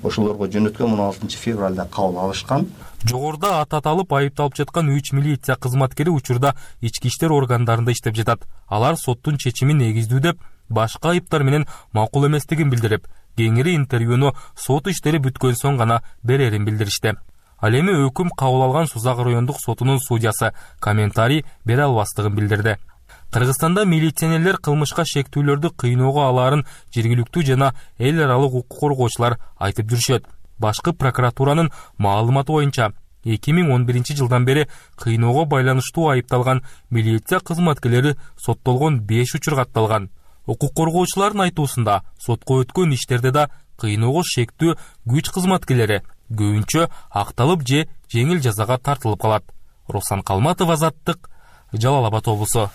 Ошолорго жөнөткөн 16 февралда кабыл алышкан. Жогоруда аты аталып айыпталып жаткан 3 милиция кызматкери учурда ички иштер органдарында иштеп жатат. Алар соттун чечимин негиздүү деп башка айыптар менен макул эместигин билдирип, кеңири интервьюну сот иштери бүткөн соң гана берерин билдиришти. Ал эми өкүм кабыл алган Сузак райондук сотунун судьясы комментарий бере албастыгын билдирди. Кыргызстанда милиционерлер кылмышка шектүүлөрдү кыйноого алаарын жергиликтүү жана эл аралык укук коргоочулар айтып жүрүшөт. Башкы прокуратуранын маалыматы боюнча 2011 жылдан бери кыйноого байланыштуу айыпталган милиция кызматкерлери соттолгон 5 учур катталган. Укук коргоочулардын айтуусунда сотко өткөн иштерде да кыйноого шектүү күч кызматкерлери көбүнчө акталып же жеңил жазага тартылып калат. Руслан Калматов, Азаттык, Жалал Абад облусу.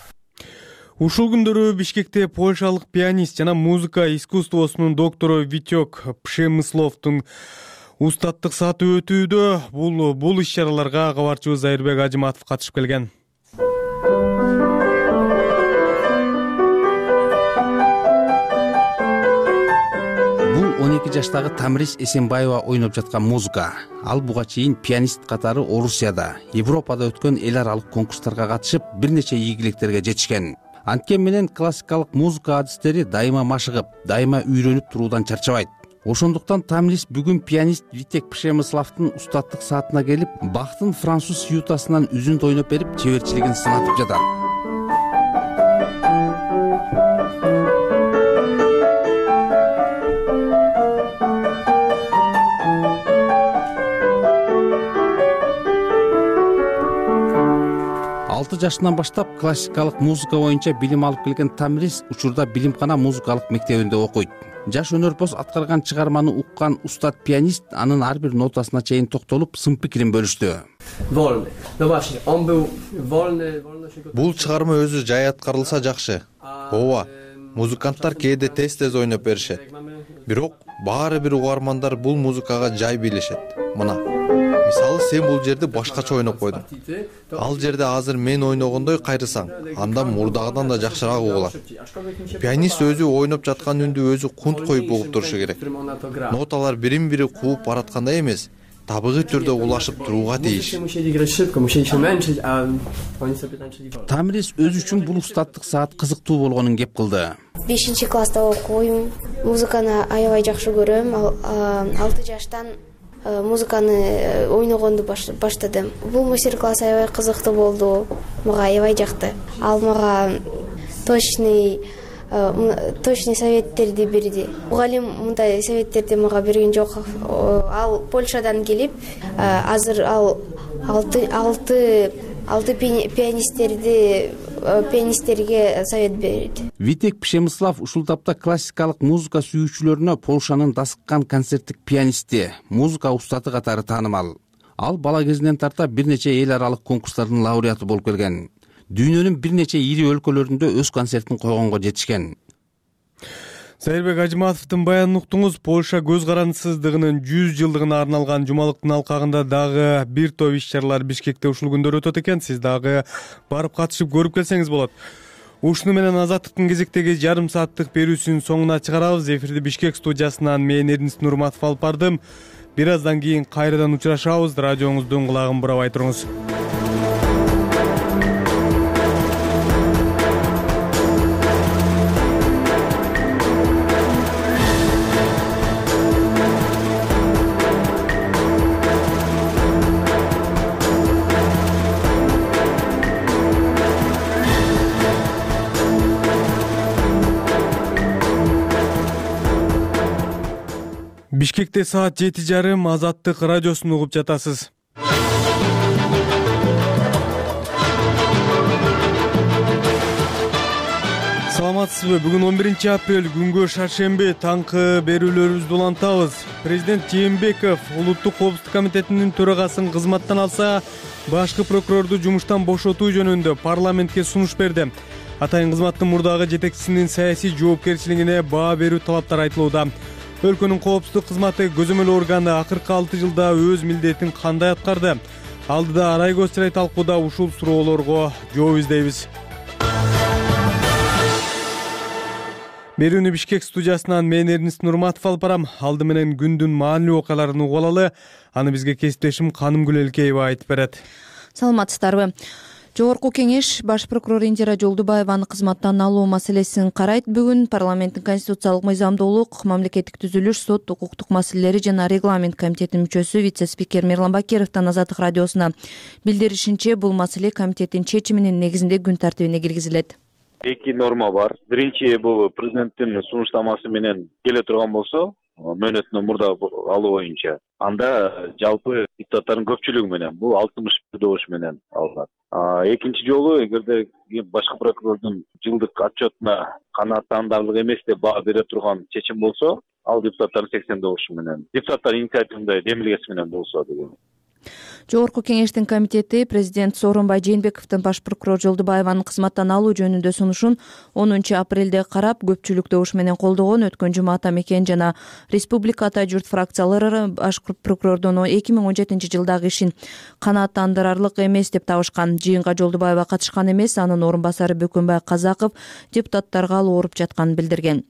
Ушул күндөрү Бишкекте польшалык пианист жана музыка искусствосунун доктору Витек Пшемысловдун устаттык сааты өтүүдө. Бул иш-чараларга кабарчыбыз Айырбек Ажыматов катышып келген. Бул 12 жаштагы Тамрис Эсенбаева ойноп жаткан музыка. Ал буга чейин пианист катары Орусияда, Европада өткөн эл аралык конкурстарга катышып, бир нече ийгиликтерге жетишкен. Анткени менен классикалык музыка адистери дайыма машыгып, дайыма үйрөнүп туруудан чарчабайт. Ошондуктан Тамрис бүгүн пианист Витек Пшемысловдун устаттык саатына келип, Бахтын француз сьютасынан үзүндү ойноп берип, чеберчилигин сынатып жатат. Жашынан баштап классикалык музыка боюнча билим алып келген Тамрис учурда Билимкана музыкалык мектебинде окуйт. Жаш өнөрпоз аткарган чыгарманы уккан устат пианист анын ар бир нотасына чейин токтолуп, сын пикирин бөлүштү. Бул чыгарма өзү жай аткарылса жакшы. Ооба, музыканттар кээде тез ойноп беришет. Бирок баары бир угармандар бул музыкага жай билишет. Мына мисалы, сен бул жерди башкача ойноп койдуң. Ал жерде азыр мен ойногондой кайрысаң, анда мурдагыдан да жакшыраак угулат. Пианист өзү ойноп жаткан үндү өзү кунт коюп угуп турушу керек. Ноталар бирин-бири кууп бараткандай эмес, табигый түрдө улашып турууга тийиш. Тамрис өзү үчүн бул устаттык саат кызыктуу болгонун кеп кылды. 5-класста окуйм, музыканы аябай жакшы көрөм. 6 жаштан музыканы ойногонду баштадым. Бул мастер-класс аябай кызыктуу болду. Мага аябай жакты. Ал мага точный советтерди берди. Мугалим мындай советтерди мага берген жок. Ал Польшадан келип, азыр ал 6 пианисттерге совет берди. Витек Пшемыслов ушул тапта классикалык музыка сүйүүчүлөрүнө Полшанын дасыккан концерттик пианисти, музыка устаты катары таанымал. Ал бала кезинен тарта бир нече эл аралык конкурстардын лауреаты болуп келген. Дүйнөнүн бир нече ири өлкөлөрүндө өз концертин койгонго жетишкен. Сайырбек Ажыматовдун баянын уктуңуз. Польша көз карандысыздыгынын 100 жылдыгына арналган жумалыктын алкагында дагы бир топ иш-чаралар Бишкекте ушул күндөр өтөт экен. Сиз дагы барып катышып көрүп келсеңиз болот. Ушуну менен Азаттыктын кезектеги жарым сааттык берүүсүнүн соңуна чыгарабыз. Эфирди Бишкек студиясынан мен Эрдинис Нурматов алып бардым. Бир аздан кийин кайрадан учурашабыз. Радиоңуздун кулагын бурабай туруңуз. Бишкекте саат 7:30 Азаттык радиосун угуп жатасыз. Саламатсызбы? Бүгүн 11 апрель күнгө шаршемби. Таңкы берүүлөрүбүздү улантабыз. Президент Жээнбеков Улуттук коопсуздук комитетинин төрагасын кызматтан алса, башкы прокурорду жумуштан бошотуу жөнүндө парламентке сунуш берди. Атайын кызматтын мурдагы жетекчисинин саясий жоопкерчилигине баа берүү талаптары айтылууда. Өлкөнүн коопсуздук кызматы көзөмөл органы акыркы 6 жылда өз милдетин кандай аткарды? Алдыда арай көз чырай талкууда ушул суроолорго жооп издейбиз. Берүүнү Бишкек студиясынан мен Эрдинис Нурматов алып барам. Алды менен күндүн маанилүү окуяларын угуп алалы. Аны бизге кесиптешим Канымгүл Элкеева айтып берет. Саламатсыздарбы? Жогорку кеңеш баш прокурор Индира Жолдубаеваны кызматтан алуу маселесин карайт. Бүгүн парламенттин конституциялык мыйзамдуулук, мамлекеттик түзүлүш, сот укуктук маселелери жана регламент комитетинин мүчөсү вице-спикер Мирлан Бакировдун Азаттык радиосуна билдиришинче, бул маселе комитеттин чечиминин негизинде күн тартибине киргизилет. Эки норма бар. Биринчи бул президенттин сунуштамасы менен келе турган болсо, мөөнөтүнөн мурда алуу боюнча, анда жалпы депутаттардын көпчүлүгү менен бул 61 менен алынат. Экинчи жолу эгерде башкы прокурордун жылдык отчетуна канааттандарлык эмес деп баа бере турган чечим болсо, ал депутаттардын 80 менен, депутаттар инициативында демилгеси менен болсо деген. Жогорку кеңештин комитети президент Сооронбай Жээнбековдун баш прокурор Жолдубаеванын кызматтан алуу жөнүндө сунушун 10 апрелде карап, көпчүлүк добуш менен колдогон. Өткөн жума Атамекен жана Республика Ата журт фракциялары баш прокурордун 2017 жылдагы ишин канааттандырарлык эмес деп табышкан. Жыйынга Жолдубаева катышкан эмес, анын орун басары Бөкөнбай Казаков депутаттарга алуу уруп жатканын билдирген.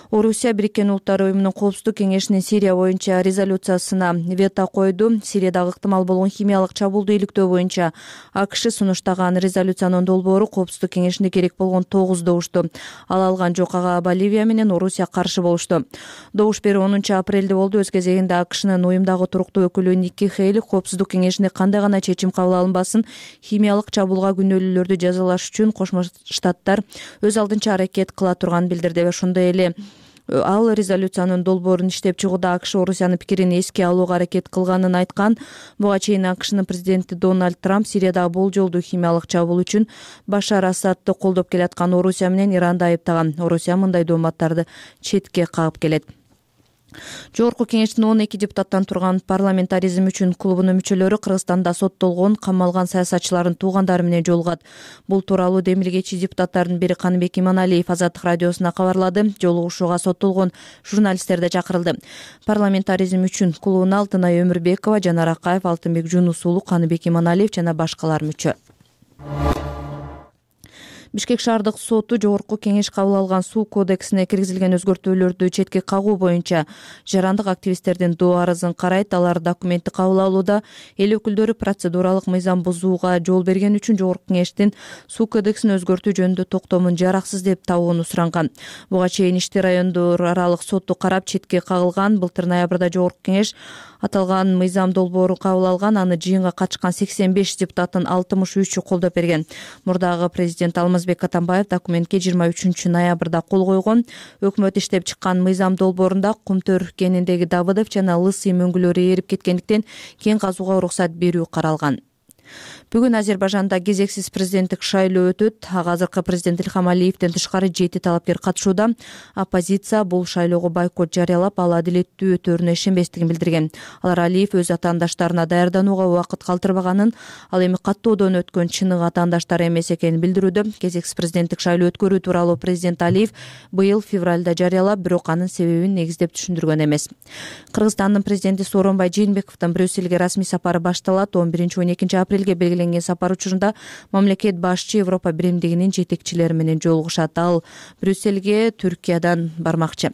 Орусия Бириккен Улуттар Уюмунун коопсуздук кеңешинин Сирия боюнча резолюциясына вето койду. Сириядагы ыктымал болгон химиялык чабуулду иликтөө боюнча АКШ сунуштаган резолюциянын долбоору коопсуздук кеңешинде керек болгон 9 добушту ала алган жок. Ага Боливия менен Орусия каршы болушту. Добуш берүү 10 апрелде болду. Өз кезегинде АКШнын уюмдагы туруктуу өкүлү Ники Хейли коопсуздук кеңешинде кандай гана чечим кабыл алынбасын, химиялык чабуулга күнөөлүүлөрдү жазалаш үчүн Кошмо Штаттар өз алдынча аракет кыла турганын билдирди. Ошондой эле ал резолюциянын долбоорун иштеп чыгууда АКШ Орусиянын пикирин эске алууга аракет кылганын айткан. Буга чейин АКШнын президенти Дональд Трамп Сириядагы болжолдуу химиялык чабуул үчүн Башар Асадты колдоп келаткан Орусия менен Иранды айыптаган. Орусия мындай дооматтарды четке кагып келет. Жогорку кеңештин 12 депутаттан турган парламентаризм үчүн клубунун мүчөлөрү Кыргызстанда соттолгон, камалган саясатчылардын туугандары менен жолугат. Бул тууралуу демилгечи депутаттардын бири Каныбек Иманалиев Азаттык радиосуна кабарлады. Жолугушууга соттолгон журналисттер да чакырылды. Парламентаризм үчүн клубуна Алтынай Өмүрбекова, Жанар Акаев, Алтынбек Жунус уулу, Каныбек Иманалиев жана башкалар мүчө. Бишкек шаардык соту Жогорку кеңеш кабыл алган суу кодексине киргизилген өзгөртүүлөрдү четке кагуу боюнча жарандык активисттердин доо арызын карайт. Алар документти кабыл алууда эл өкүлдөрү процедуралык мыйзам бузууга жол берген үчүн Жогорку кеңештин суу кодексин өзгөртүү жөнүндө токтомун жараксыз деп табууну суранган. Буга чейин ишти райондор аралык соту карап четке кагылган. Былтыр ноябрда Жогорку кеңеш аталган мыйзам долбоору кабыл алган. Аны жыйынга катышкан 85 депутаттын 63-ü колдоп берген. Мурдагы президент Алмазбек Атамбаев документке 23 ноябрда кол койгон. Өкмөт иштеп чыккан мыйзам долбоорунда Кумтөр кениндеги Давыдов жана Лысый мөңгүлөрү эрип кеткендиктен кен казууга уруксат берүү каралган. Бүгүн Азербайжанда кезексиз президенттик шайлоо өтөт. Азыркы президент Илхам Алиевден тышкары 7 талапкер катышууда. Оппозиция бул шайлоого бойкот жарыялап, ал адилеттүү өтөрүнө ишенбестигин билдирген. Алар Алиев өз атаандаштарына даярданууга убакыт калтырбаганын, ал эми каттоодон өткөн чыныгы атаандаштар эмес экенин билдирүүдө. Кезексиз президенттик шайлоо өткөрүү тууралуу президент Алиев быйыл февралда жарыялап, бирок анын себебин негиздеп түшүндүргөн эмес. Кыргызстандын президенти Сооронбай Жээнбековдун Брюссельге расмий сапары башталат. 11-12 апрелге белгиленген сапар учурунда мамлекет башчы Европа биримдигинин жетекчилери менен жолугушат. Ал Брюссельге Түркиядан бармакчы.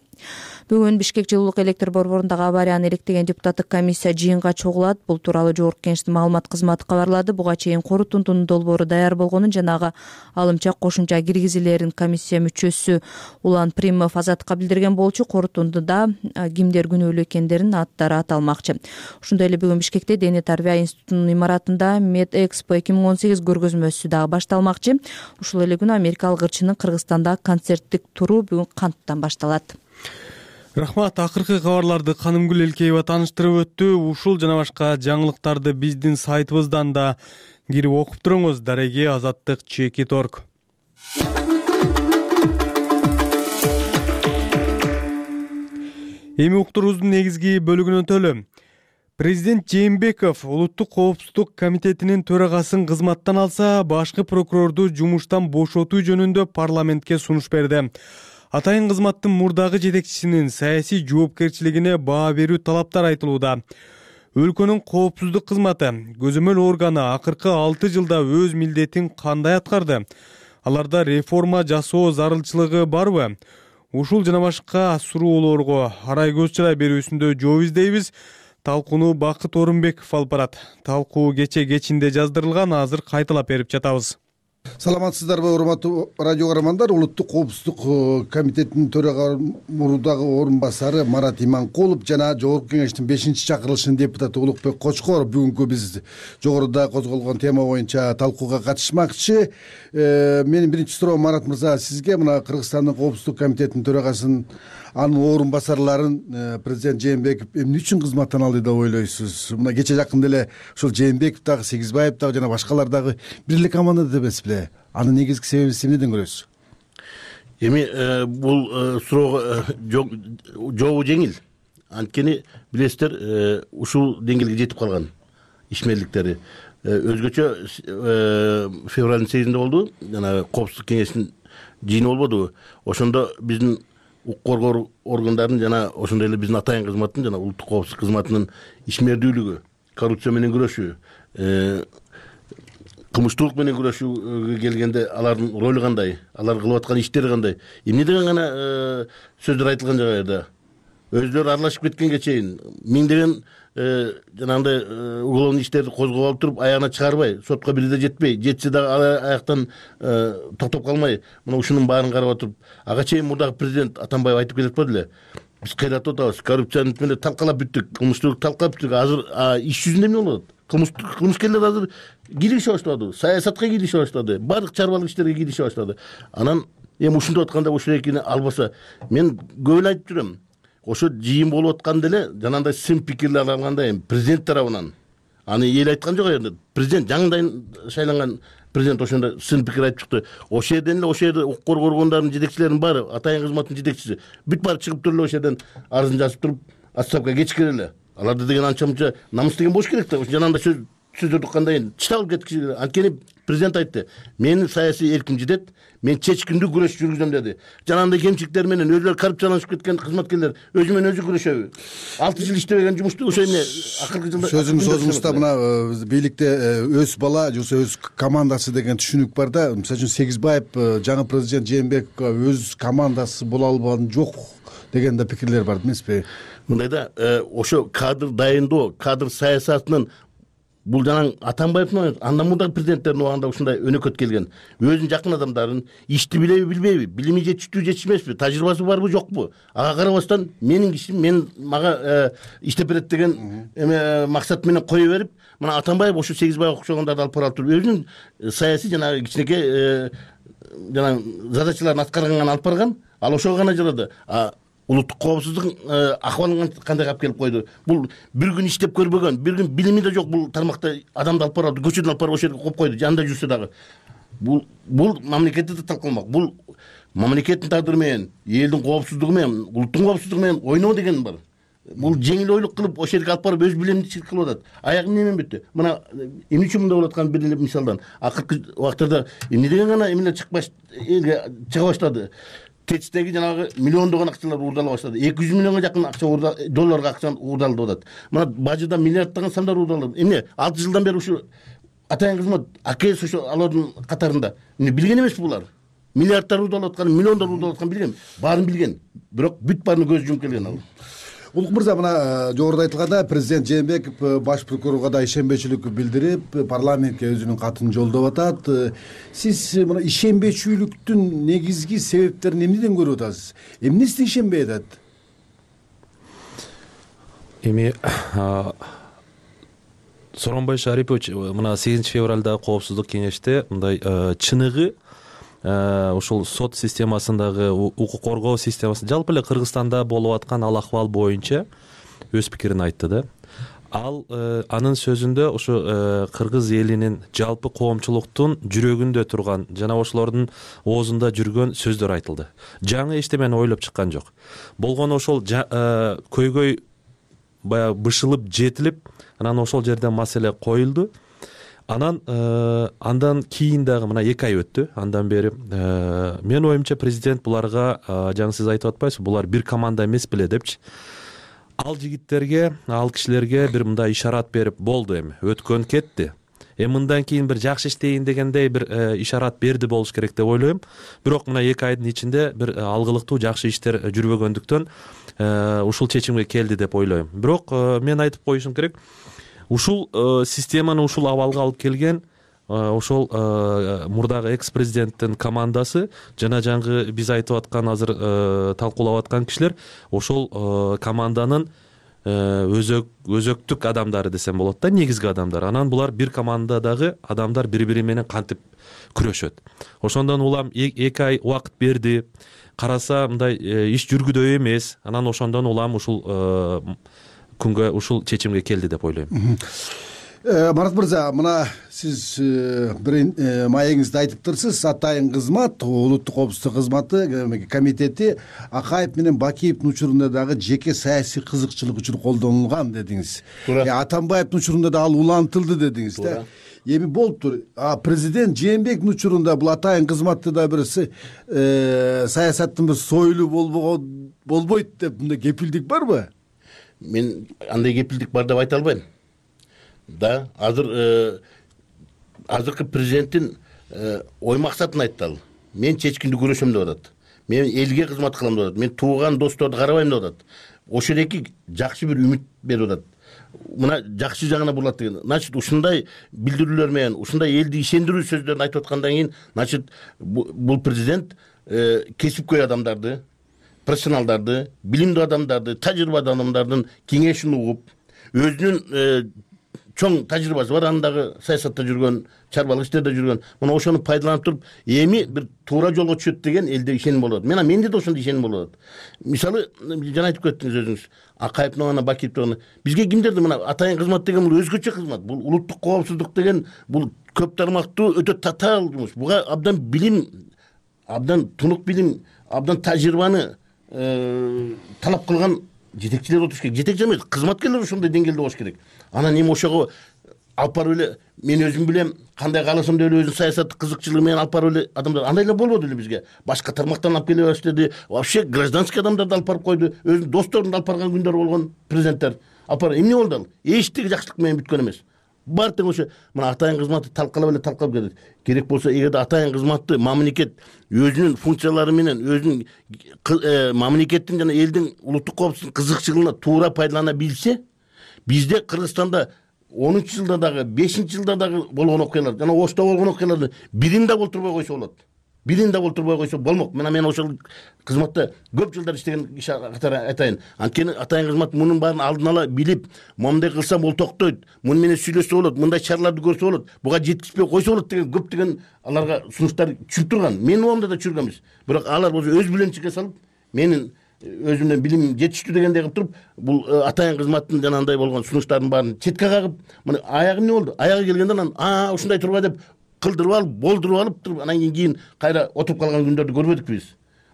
Бүгүн Бишкек жылуулук электр борборундагы аварияны иликтеген депутаттык комиссия жыйынга чогулат. Бул тууралуу Жогорку Кеңештин маалымат кызматы кабарлады. Буга чейин корутундунун долбоору даяр болгонун жанагы алымча кошумча киргизилерин комиссия мүчөсү Улан Примов Азаттыкка билдирген болчу. Корутундуда кимдер күнөөлүү экендерин аттары аталмакчы. Ошондой эле бүгүн Бишкекте Дене тарбия институтунун имаратында Медэкспо 2018 көргөзмөсү дагы башталмакчы. Ушул эле күнү америкалык ырчынын Кыргызстанда концерттик туру бүгүн канттан башталат. Рахмат, акыркы кабарларды Канымгүл Элкеева тааныштырып өттү. Ушул жана башка жаңылыктарды биздин сайтыбыздан да кирип окуп туруңуз. Дареги Азаттык @. Эми уктурубуздун негизги бөлүгүнө өтөлү. Президент Жээнбеков Улуттук коопсуздук комитетинин төрагасын кызматтан алса, башкы прокурорду жумуштан бошотуу жөнүндө парламентке сунуш берди. Атайын кызматтын мурдагы жетекчисинин саясий жоопкерчилигине баа берүү талаптар айтылууда. Өлкөнүн коопсуздук кызматы, көзөмөл органы акыркы 6 жылда өз милдетин кандай аткарды? Аларда реформа жасоо зарылчылыгы барбы? Ушул жана башка суроолорго арай көз чырай берүүсүндө жооп издейбиз. Талкууну Бакыт Орунбеков алып барат. Талкуу кечинде жаздырылган, азыр кайталап берип жатабыз. Саламатсыздарбы, урматтуу радио көрөрмандар. Улуттук коопсуздук комитетинин төрага мурдагы орун басары Марат Иманкулов жана Жогорку Кеңештин 5-чакырылышынын депутаты Улукбек Кочкоров бүгүнкү биз жогоруда козголгон тема боюнча талкууга катышмакчы. Менин биринчи суроом, Марат мырза, сизге мына Кыргызстандын коопсуздук комитетинин төрагасын, анын орун басарларын президент Жээнбеков эмне үчүн кызматтан алды деп ойлойсуз? Мына кече жакында эле ушул Жээнбеков дагы, Сегизбаев дагы жана башкалар дагы бир эле командада эмеспи? Анын негизги себебин эмнеден көрөсүз? Эми бул суроого жообу жеңил. Анткени билесиздер, ушул деңгээлге жетип калган ишмерликтери. Өзгөчө февралдын 8-inde болду. Жана коопсуздук кеңешинин жыйыны болбодубу? Ошондо биздин укук коргоо органдарынын жана ошондой эле биздин атайын кызматтын жана улуттук коопсуздук кызматынын ишмердүүлүгү, коррупция менен күрөшүү, кылмыштуулук менен күрөшүүгө келгенде алардын ролу кандай, алар кылып аткан иштери кандай, эмне деген гана сөздөр айтылган жагайда өзүлөрү аралашып кеткенге чейин миңдеген жанагындай уголовный иштерди козгоп алып туруп аягына чыгарбай, сотко бирде жетпей, жетсе дагы аяктан токтоп калмай, мына ушунун баарын карап отуруп, ага чейин мурдагы президент Атамбаев айтып келип атпады эле. Биз кыйратып атабыз, коррупцияны менен талкалап бүттүк, кылмыштуулукту талкалап бүттүк. Азыр иш жүзүндө эмне болуп атат? Кылмышкерлер азыр кийлигише баштады, саясатка кийлигише баштады, баардык чарбалык иштерге кийлигише баштады. Анан эми ушинтип атканда ушул экини албаса, мен көп эле айтып жүрөм. Ошо жыйын болуп атканда эле жанагындай сын пикирлер алганда эми президент тарабынан аны эл айткан жок енді. Президент жаңыдан шайланган президент ошондо сын пикир айтып чыкты. Ошол жерден эле ошол жерде укук коргоо органдарынын жетекчилеринин баары, атайын кызматтын жетекчиси бүт баары чыгып туруп эле ошол жерден арызын жазып туруп, отставкага кечиккен эле. Аларды деген анча мынча намыс деген болуш керек да. Жанагындай сөздөрдү кандай чыта алып кеткичи. Анткени президент айтты: "Менин саясий эрким жетет, мен чечкиндүү күрөш жүргүзөм" деди. Жанагындай кемчиликтер менен өзүлөрү коррупцияланып кеткен кызматкерлер өзү менен өзү күрөшөбү? 6 жыл иштебеген жумушту ошо эмне акыркы жылда сөзүңүздө мына бийликте өз бала же өз командасы деген түшүнүк бар да. Мисалы үчүн Сегизбаев жаңы президент Жээнбековго өз командасы боло албаган жок деген да пикирлер бар эмеспи? Мындай да, ошо кадр дайындоо, кадр саясатынын бул жанаң Атамбаевдин андан мурдагы президенттердин убагында ушундай өнөкөт келген. Өзүнүн жакын адамдарын ишти билеби, билбейби, билими жетиштүү, жетишмеспи, тажрыйбасы барбы, жокпу? Ага карабастан менин кишим, мен мага иштеп берет деген максат менен кое берип, мына Атамбаев ошо Сегизбаев окшогондорду алып барып туруп, өзүнүн саясий жанагы кичинекей жанагы задачаларын аткарганга алып барган, ал ошого гана жарады. улуттук коопсуздуктун акыбалын кандай алып келип койду. Бул бир күн иштеп көрбөгөн, бир күн билими да жок бул тармакта адамды алып барып, көчөдөн алып барып ошол жерге коюп койду. Жанында жүрсө дагы. Бул мамлекетти да талкаламак. Бул мамлекеттин тагдыры менен, элдин коопсуздугу менен, улуттун коопсуздугу менен ойноо деген бар. Бул жеңил ойлук кылып ошол жерге алып барып өз билимдичилик кылып атат. Аягы эмне менен бүттү? Мына эмне үчүн мындай болуп аткан бир эле мисалдан. Акыркы убактарда эмне деген гана эмне чыга баштады. ТЭЦтеги жанагы миллиондогон акчалар уурдала баштады. 200 миллионго жакын акча долларга акча уурдалып атат. Мына бажыда миллиарддаган сандар уурдалып. Эмне 6 жылдан бери ушу атайын кызмат АКС ошо алардын катарында. Эмне билген эмеспи булар? Миллиарддар уурдалып аткан, миллиондор уурдалып аткан билген. Баарын билген. Бирок бүт баарына көз жумуп келген ал. Улук мырза, мына жогоруда айтылгандай президент Жээнбеков баш прокурорго да ишенбечилик билдирип, парламентке өзүнүн катын жолдоп атат. Сиз мына ишенбечүүлүктүн негизги себептерин эмнеден көрүп атасыз? Эмнесине ишенбей атат? Эми Сооронбай Шарипович мына 8 февралда коопсуздук кеңеште мындай чыныгы ушул сот системасындагы укук коргоо системасы жалпы эле Кыргызстанда болуп аткан ал акыбал боюнча өз пикирин айтты да. Ал анын сөзүндө ушу кыргыз элинин жалпы коомчулуктун жүрөгүндө турган жана ошолордун оозунда жүргөн сөздөр айтылды. Жаңы эчтемени ойлоп чыккан жок. Болгону ошол көйгөй баягы бышылып жетилип, анан ошол жерден маселе коюлду. Андан кийин дагы мына 2 ай өттү. Андан бери мен оюмча президент буларга жаңы сиз айтып атпайсызбы, булар бир команда эмес беле депчи. Ал жигиттерге, ал кишилерге бир мындай ишарат берип болду, эми өткөн кетти. Мындан кийин бир жакшы иштейин дегендей бир ишарат берди болуш керек деп ойлойм. Бирок мына 2 айдын ичинде бир алгылыктуу жакшы иштер жүрбөгөндүктөн ушул чечимге келди деп ойлойм. Бирок мен айтып коюшум керек, ушул системаны ушул абалга алып келген ошол мурдагы экс-президенттин командасы жана жаңы биз айтып аткан азыр талкуулап аткан кишилер ошол команданын өзөктүк адамдары десем болот да, негизги адамдар. Анан булар бир командадагы адамдар бири-бири менен кантип күрөшөт. Ошондон улам 2 ай убакыт берди. Караса мындай иш жүргүдөй эмес. Анан ошондон улам ушул күнгө ушул чечимге келди деп ойлойм. Марат мырза, мына сиз бир маегиңизде айтыптырсыз, атайын кызмат, улуттук коопсуздук кызматы комитети Акаев менен Бакиевдин учурунда дагы жеке саясий кызыкчылык үчүн колдонулган дедиңиз. Атамбаевдин учурунда да ал улантылды дедиңиз да. Эми болуптур. Президент Жээнбековдун учурунда бул атайын кызматты да бир саясаттын бир сойлу болбойт деп мындай кепилдик барбы? Мен андай кепилдик бар деп айта албайм. Да, азыркы президенттин ой максатын айтты ал. Мен чечкиндүү күрөшөм деп атат. Мен элге кызмат кылам деп атат. Мен тууган досторду карабайм деп атат. Ошол эки жакшы бир үмүт берип атат. Мына жакшы жагына бурулат деген. Значит, ушундай билдирүүлөр менен, ушундай элди ишендирүү сөздөрүн айтып аткандан кийин, значит, бул президент кесипкөй адамдарды, профессионалдарды, билимдүү адамдарды, тажрыйбалуу адамдардын кеңешин угуп, өзүнүн чоң тажрыйбасы бар, андагы саясатта жүргөн, чарбалык иштерде жүргөн, мына ошону пайдаланып туруп, эми бир туура жолго түшөт деген элде ишеним болот. Менде да ошондой ишеним болот. Мисалы, жана айтып кеттиңиз өзүңүз, Акаевдин гана, Бакиевдин гана. Бизге кимдерди мына атайын кызмат деген бул өзгөчө кызмат. Бул улуттук коопсуздук деген бул көп тармактуу өтө татаал жумуш. Буга абдан билим, абдан тунук билим, абдан тажрыйбаны талап кылган жетекчилер отуш керек. Жетекчи эмес, кызматкерлер ушундай деңгээлде болуш керек. Анан эми ошого алып барып эле мен өзүм билем, кандай кааласам деп эле өзүнүн саясаттык кызыкчылыгы менен алып барып эле адамдар андай эле болбоду эле бизге. Башка тармактан алып келе баштады. Вообще гражданский адамдарды алып барып койду. Өзүнүн досторун алып барган күндөр болгон президенттер. Алып барып эмне болду ал? Эчтеке жакшылык менен бүткөн эмес. Бар тең ошо мына атайын кызматты талкалап келет. Керек болсо эгерде атайын кызматты мамлекет өзүнүн функциялары менен, өзүнүн мамлекеттин жана элдин улуттук коопсуздук кызыкчылыгына туура пайдалана билсе, бизде Кыргызстанда 10-жылда дагы, 5-жылда дагы болгон окуялар, жана Ошто болгон окуяларды бирин да болтурбой койсо болот. Бирин да болтурбой койсо болмок. Мен ошол кызматта көп жылдар иштеген киши катары айтайын. Анткени атайын кызмат мунун баарын алдын ала билип, моундай кылсам бул токтойт, муну менен сүйлөшсө болот, мындай чараларды көрсө болот, буга жеткизбей койсо болот деген көптөгөн аларга сунуштар түшүп турган. Менин оомда да чүргөнбүз. Бирок алар болсо өз биленчиге салып, менин өзү менен билим жетиштүү дегендей кылып туруп бул атайын кызматтын жанагындай болгон сунуштардын баарын четке кагып, мына аягы эмне болду? Аягы келгенде анан ушундай турба деп кылдырып алып, болдуруп алып туруп, анан кийин кайра отуруп калган күндөрдү көрбөдүкпү биз?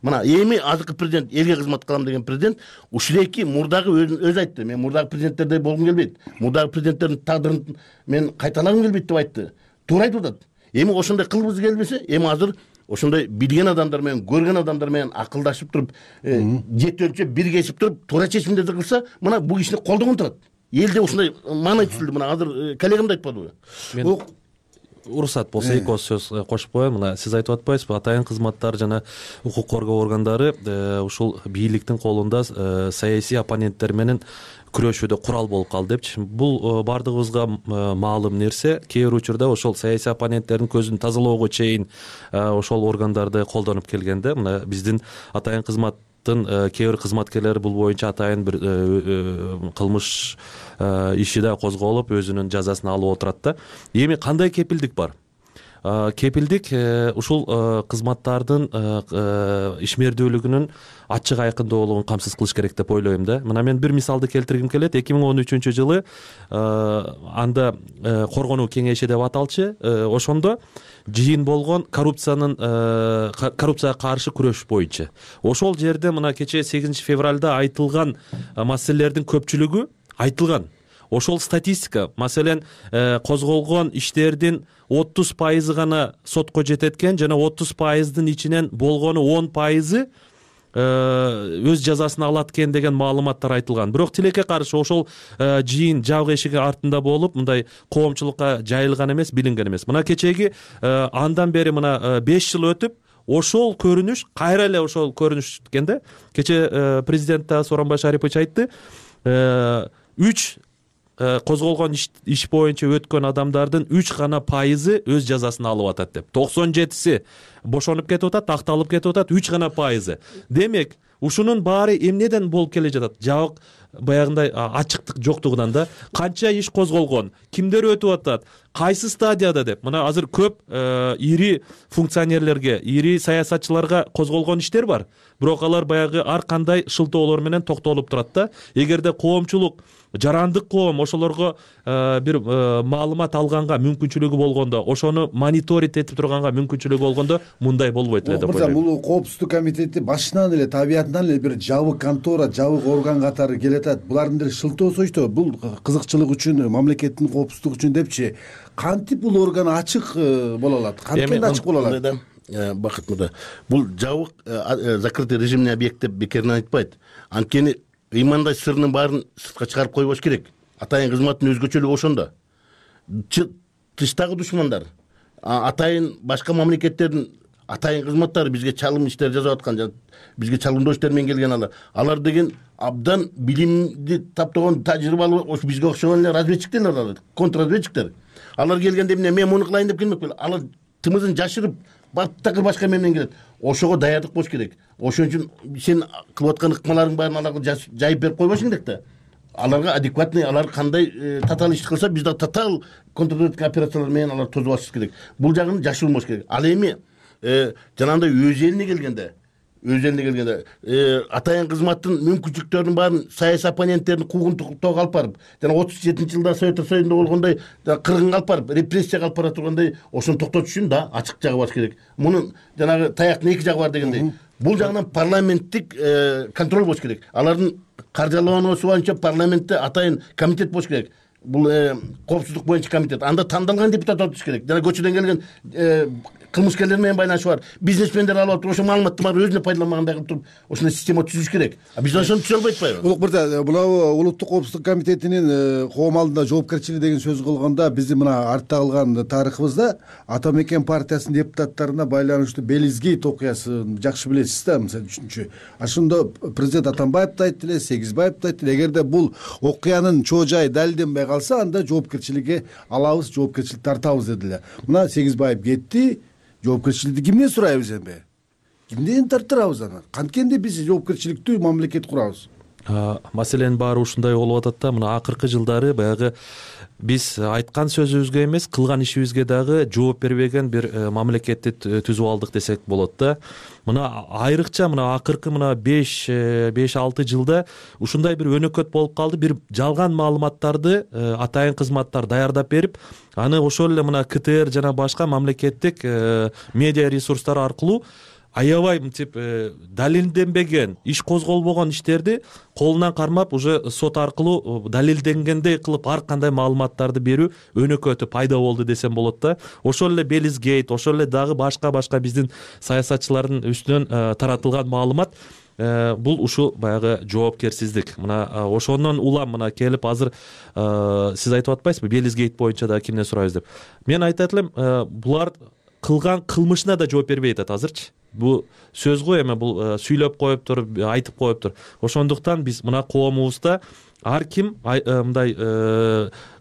Мына эми азыркы президент, элге кызмат кылам деген президент ушулеки мурдагы өзү айтты. Мен мурдагы президенттердей болгум келбейт. Мурдагы президенттердин тагдырын мен кайталагым келбейт деп айтты. Туура айтып атат. Эми ошондой кылгыбыз келбесе, эми азыр ошондой билген адамдар менен, көргөн адамдар менен акылдашып туруп, жет өлчөп, биргешип туруп, туура чечимдерди кылса, мына бул кишини колдогон турат. Элде ушундай маанай түзүлдү. Мына азыр коллегам да айтып калдыбы? Мен уруксат болсо эки ооз сөз кошуп коеюн. Мына сиз айтып атпайсызбы, атайын кызматтар жана укук коргоо органдары ушул бийликтин колунда саясий оппоненттер менен күрөшүүдө курал болуп калды депчи. Бул бардыгыбызга маалым нерсе. Кээ бир учурда ошол саясий оппоненттердин көзүн тазалоого чейин ошол органдарды колдонуп келгенде, мына биздин атайын кызматтын кээ бир кызматкерлери бул боюнча атайын бир кылмыш иши да козголуп, өзүнүн жазасын алып отурат да. Эми кандай кепилдик бар? Кепилдик ушул кызматтардын ишмердүүлүгүнүн ачык айкындуулугун камсыз кылыш керек деп ойлойм да. Мына мен бир мисалды келтиргим келет. 2013-жылы анда коргонуу кеңеши деп аталчы, ошондо жыйын болгон коррупцияга каршы күрөш боюнча. Ошол жерде мына кечээ 8 февралда айтылган маселелердин көпчүлүгү айтылган. Ошол статистика, маселен, козголгон иштердин 30% гана сотко жететкен жана 30%дын ичинен болгону 10% өз жазасын алат экен деген маалыматтар айтылган. Бирок тилекке каршы ошол жыйын жабык эшиги артында болуп, мындай коомчулукка жайылган эмес, билинген эмес. Мына кечеги андан бери мына 5 жыл өтүп, ошол көрүнүш кайра эле ошол көрүнүш экен да. Кече президент Сооронбай Шарипович айтты, 3 козголгон иш боюнча өткөн адамдардын 3 гана пайызы өз жазасын алып атат деп. 97си бошонуп кетип атат, акталып кетип атат, 3 гана пайызы. Демек, ушунун баары эмнеден болуп келе жатат? Жабык баягындай ачыктык жоктугунан да. Канча иш козголгон, кимдер өтүп атат, кайсы стадияда деп. Мына азыр көп ири функционерлерге, ири саясатчыларга козголгон иштер бар. Бирок алар баягы ар кандай шылтоолор менен токтолуп турат да. Эгерде коомчулук, жарандык коом ошолорго бир маалымат алганга мүмкүнчүлүгү болгондо, ошону мониторинг этип турганга мүмкүнчүлүгү болгондо мындай болбойт эле деп ойлойм. Бул коопсуздук комитети башынан эле, табиятынан эле бир жабык контора, жабык орган катары келатат. Булардын деле шылтоосу ошто, бул кызыкчылык үчүн, мамлекеттин коопсуздугу үчүн депчи. Кантип бул орган ачык боло алат? Кантип ачык боло алат? Бакыт мырза, бул жабык закрытый режимный объект деп бекеринен айтпайт. Анткени ыймандай сырынын баарын сыртка чыгарып койбош керек. Атайын кызматтын өзгөчөлүгү ошондо. Тыштагы душмандар, атайын башка мамлекеттердин атайын кызматтары бизге чалым иштер жасап аткан, бизге чалымдоо иштер менен келген алар деген абдан билимди таптогон, тажрыйбалуу, ошо бизге окшогон эле разведчиктер алар, контрразведчиктер. Алар келгенде эмне мен муну кылайын деп келмек беле. Алар тымызын жашырып, баттакыр башка менен келет. Ошого даярдык болуш керек. Ошон үчүн сен кылып аткан ыкмаларың баарын аларга жайып берип койбошуң керек да. Аларга адекватный, алар кандай татаал иш кылса, биз да татаал контрразведка операциялар менен алар тосуп алышыбыз керек. Бул жагын жашырылмаш керек. Ал эми жанагындай өз элине келгенде, атайын кызматтын мүмкүнчүлүктөрүнүн баарын саясий оппоненттердин куугунтуктоого алып барып, жана 37-жылда Советтер Союзунда болгондой кыргынга алып барып, репрессияга алып бара тургандай, ошону токтотуш үчүн да ачык жагы бар керек. Мунун жанагы таяктын эки жагы бар дегендей. Бул жагынан парламенттик контроль болуш керек. Алардын каржылануусу боюнча парламентте атайын комитет болуш керек. Бул коопсуздук боюнча комитет. Анда тандалган депутат отуш керек. Жана көчөдөн келген кылмышкерлер менен байланышы бар, бизнесмендер алып атып, ошо маалыматтын баары өзүнө пайдаланмагандай кылып туруп, ошондой система түзүш керек. Биз ошону түзө албай атпайбы? Улук мырза, мына улуттук коопсуздук комитетинин коом алдында жоопкерчилиги деген сөз кылганда, биздин мына артта калган тарыхыбызда Ата Мекен партиясынын депутаттарына байланыштуу Белизгейт окуясын жакшы билесиз да, мисалы үчүнчү. Ошондо президент Атамбаев да айтты эле, Сегизбаев да айтты эле, эгерде бул окуянын чоо жайы далилденбей калса, анда жоопкерчиликке алабыз, жоопкерчилик тартабыз деди эле. Мына Сегизбаев кетти. Жоопкерчиликти кимден сурайбыз эми? Кимден тарттырабыз анан? Канткенде биз жоопкерчиликтүү мамлекет курабыз? маселенин баары ушундай болуп атат да. Мына акыркы жылдары баягы биз айткан сөзүбүзгө эмес, кылган ишибизге дагы жооп бербеген бир мамлекетти түзүп алдык десек болот да. Мына айрыкча мына акыркы мына 5-6 жылда ушундай бир өнөкөт болуп калды. Бир жалган маалыматтарды атайын кызматтар даярдап берип, аны ошол эле мына КТР жана башка мамлекеттик медиа ресурстар аркылуу аябай мынтип далилденбеген, иш козголбогон иштерди колунан кармап уже сот аркылуу далилденгендей кылып ар кандай маалыматтарды берүү өнөкөтү пайда болду десем болот да. Ошол эле Белизгейт, ошол эле дагы башка биздин саясатчылардын үстүнөн таратылган маалымат бул ушул баягы жоопкерсиздик. Мына ошондон улам мына келип азыр сиз айтып атпайсызбы Белизгейт боюнча да кимден сурайбыз деп. Мен айтат элем, булар кылган кылмышына да жооп бербей атат азырчы. Бул сөз го эми, бул сүйлөп коюптур, айтып коюптур. Ошондуктан биз мына коомубузда ар ким мындай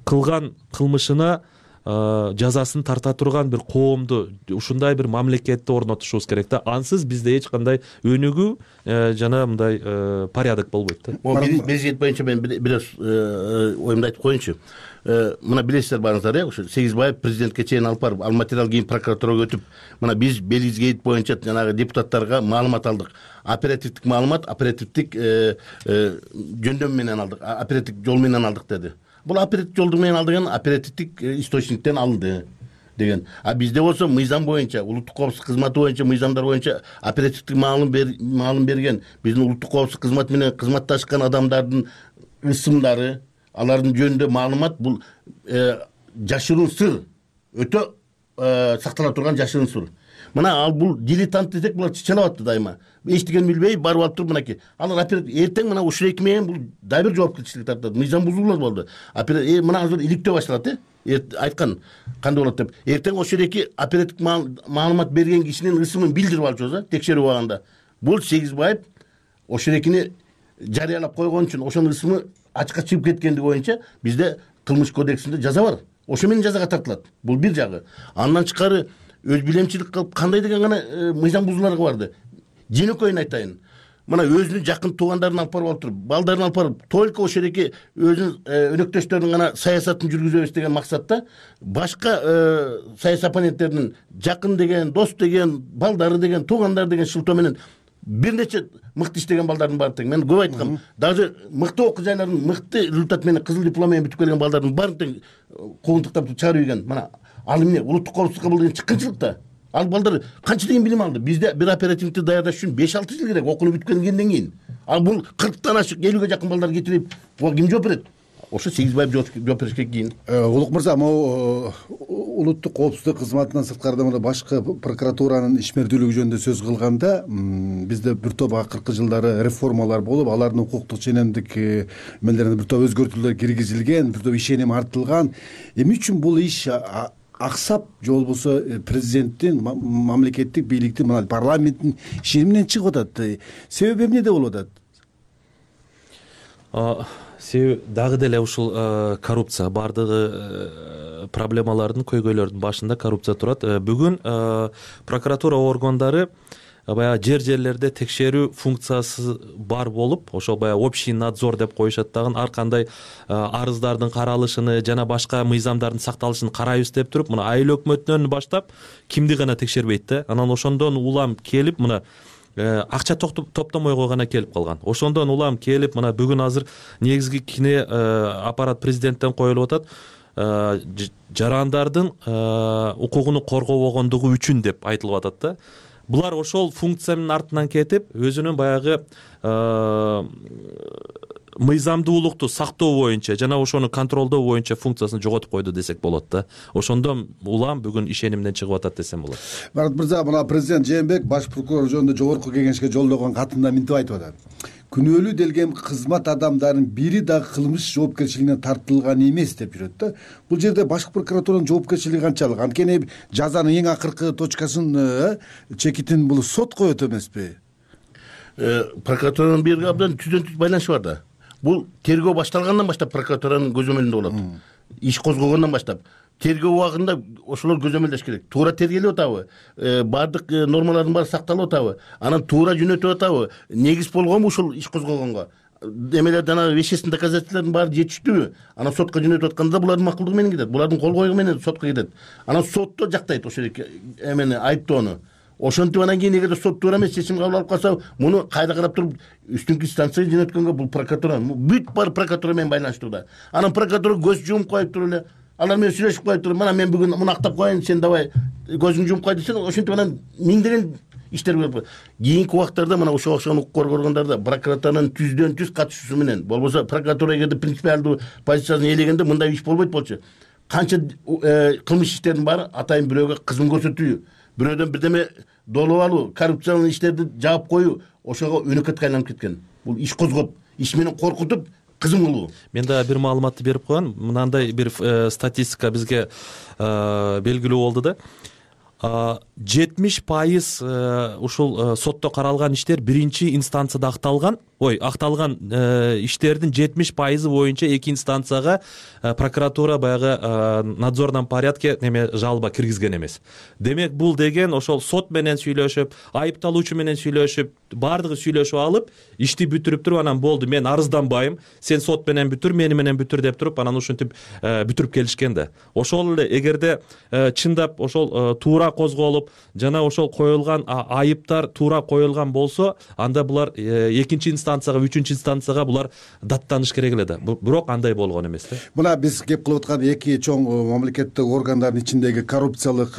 кылган кылмышына жазасын тарта турган бир коомду, ушундай бир мамлекетти орнотушубуз керек да. Ансыз бизде эч кандай өнүгүү жана мындай порядок болбойт да. Белизгейт боюнча мен бир оюмду айтып коеюнчу. Мына билесиздер баарыңыздар, ошо Сегизбаев президентке чейин алып барып, ал материал кийин прокуратурага өтүп, мына биз Белизгейт боюнча жанагы депутаттарга маалымат алдык. Оперативдик маалымат, оперативдик жөндөм менен алдык, оперативдик жол менен алдык деди. Бул оперативдик жолдун менен алдыган оперативдик источниктен алынды деген. А бизде болсо мыйзам боюнча, улуттук коопсуздук кызматы боюнча, мыйзамдар боюнча оперативдик маалым берген, биздин улуттук коопсуздук кызматы менен кызматташкан адамдардын ысымдары, алардын жөнүндө маалымат, бул жашыруун сыр, өтө сактала турган жашыруун сыр. Мына ал бул дилетант десек, булар чычалап атты дайыма. Эчтеген билбей барып алып туруп мынакей. Алар эртең мына ушул эки менен бул дагы бир жоопкерчилик тартат. Мыйзам бузуулар болду. Мына азыр иликтөө башталат, айткан кандай болот деп. Эртең ошол эки оперативдик маалымат берген кишинин ысымын билдирип алчубуз, текшерип алганда. Бул Сегизбаев ошол экини жарыялап койгон үчүн ошонун ысымы ачыкка чыгып кеткендиги боюнча бизде кылмыш кодексинде жаза бар. Ошо менен жазага тартылат. Бул бир жагы. Андан тышкары өз билемчилик кылып кандай деген гана мыйзам бузууларга барды. Жөнөкөйүн айтайын. Мына өзүнүн жакын туугандарын алып барып отуруп, балдарын алып барып, только ошол эки өзүнүн өнөктөштөрүнүн гана саясатын жүргүзөбүз деген максатта башка саясий оппоненттердин жакын деген, дос деген, балдары деген, туугандар деген шылтоо менен бир нече мыкты иштеген балдардын баары тең. Мен көп айткам, даже мыкты окуу жайлардын мыкты результат менен кызыл диплом менен бүтүп келген балдардын баарын тең куугунтуктап чыгарып ийген. Мына ал эмне улуттук коопсуздукка бул деген чыккынчылык да. Ал балдар канча деген билим алды? Бизде бир оперативдикти даярдаш үчүн 5-6 жыл керек, окууну бүткөндөн кийин. Ал бул 40тан ашык, 50ге жакын балдар кетирип, буга ким жооп берет? Ошо Сегизбаев жооп беришке кийин. Улук мырза, могу улуттук коопсуздук кызматынан сырткары мына башкы прокуратуранын ишмердүүлүгү жөнүндө сөз кылганда, бизде бир топ акыркы жылдары реформалар болуп, алардын укуктук ченемдик эмелерине бир топ өзгөртүүлөр киргизилген, бир топ ишеним артылган. Эмне үчүн бул иш аксап, же болбосо президенттин, мамлекеттик бийликтин, мына парламенттин ишениминен чыгып атат? Себеби эмнеде болуп атат? Себеби дагы деле ушул коррупция, бардыгы проблемалардын, көйгөйлөрдүн башында коррупция турат. Бүгүн прокуратура органдары баягы жерлерде текшерүү функциясы бар болуп, ошол баягы общий надзор деп коюшат дагы, ар кандай арыздардын каралышын жана башка мыйзамдардын сакталышын карайбыз деп туруп, мына айыл өкмөтүнөн баштап кимди гана текшербейт да. Анан ошондон улам келип, мына акча топтомойго гана келип калган. Ошондон улам келип, мына бүгүн азыр негизги кине аппарат президенттен коюлуп атат. Жарандардын укугуну коргобогондугу үчүн деп айтылып атат да. Булар ошол функциянын артынан кетип, өзүнүн баягы мыйзамдуулукту сактоо боюнча жана ошону контролдоо боюнча функциясын жоготуп койду десек болот да. Ошондон улам бүгүн ишенимден чыгып атат десем болот. Марат мырза, мына президент Жээнбеков баш прокурор жөнүндө жогорку кеңешке жолдогон катында мынтип айтып атат: күнөөлүү делген кызмат адамдарынын бири дагы кылмыш жоопкерчилигине тартылган эмес деп жүрөт да. Бул жерде башкы прокуратуранын жоопкерчилиги канчалык? Анткени жазанын эң акыркы точкасын, чекитин бул сот коет эмеспи? Прокуратуранын бирге абдан түздөн-түз байланышы бар да. Бул тергөө башталгандан баштап прокуратуранын көзөмөлүндө болот. Иш козголгондон баштап тергөө убагында ошолор көзөмөлдөш керек. Туура тергелип атабы? Бардык нормалардын баары сакталып атабы? Анан туура жөнөтүп атабы? Негиз болгонбу ушул иш козголгонго? эмелер жанагы вещественный доказательстволордун баары жетиштүүбү? Анан сотко жөнөтүп атканда булардын макулдугу менен кетет, булардын кол коюу менен сотко кетет. Анан сотто жактайт ошо эмени айыптоону. Ошентип анан кийин эгерде сот туура эмес чечим кабыл алып калса, муну кайда карап туруп үстүнкү инстанцияга жөнөткөнгө бул прокуратура, бүт баары прокуратура менен байланыштууда. Анан прокуратура көз жумуп коюп туруп эле, алар менен сүйлөшүп коюп туруп, мына мен бүгүн муну актап коеюн, сен давай көзүңдү жумуп кой десең, ошентип анан миңдеген иштер болуп. Кийинки убактарда мына ошого окшогон укук коргоо органдарда прокуратуранын түздөн-түз катышуусу менен, болбосо прокуратура эгерде принципиалдуу позициясын ээлегенде мындай иш болбойт болчу. Канча кылмыш иштердин баары атайын бирөөгө кызмат көрсөтүү, бирөөдөн бирдеме долуп алуу, коррупциялык иштерди жаап коюу ошого өнөкөткө айланып кеткен. Бул иш козгоп, иш менен коркутуп кызым кылуу. Мен да бир маалыматты берип коеюн. Мынандай бир статистика бизге белгилүү болду да. 70% ушул сотто каралган иштер биринчи инстанцияда акталган иштердин 70% боюнча эки инстанцияга прокуратура баягы надзорном порядке жалоба киргизген эмес. Демек бул деген ошол сот менен сүйлөшүп, айыпталуучу менен сүйлөшүп, баардыгы сүйлөшүп алып, ишти бүтүрүп туруп анан болду, мен арызданбайм, сен сот менен бүтүр, мени менен бүтүр деп туруп анан ушинтип бүтүрүп келишкен да. Ошол эле эгерде чындап ошол туура козголуп, жана ошол коюлган айыптар туура коюлган болсо, анда булар экинчи инстанцияга, үчүнчү инстанцияга булар даттаныш керек эле да. Бирок андай болгон эмес да. Мына биз кеп кылып аткан эки чоң мамлекеттик органдардын ичиндеги коррупциялык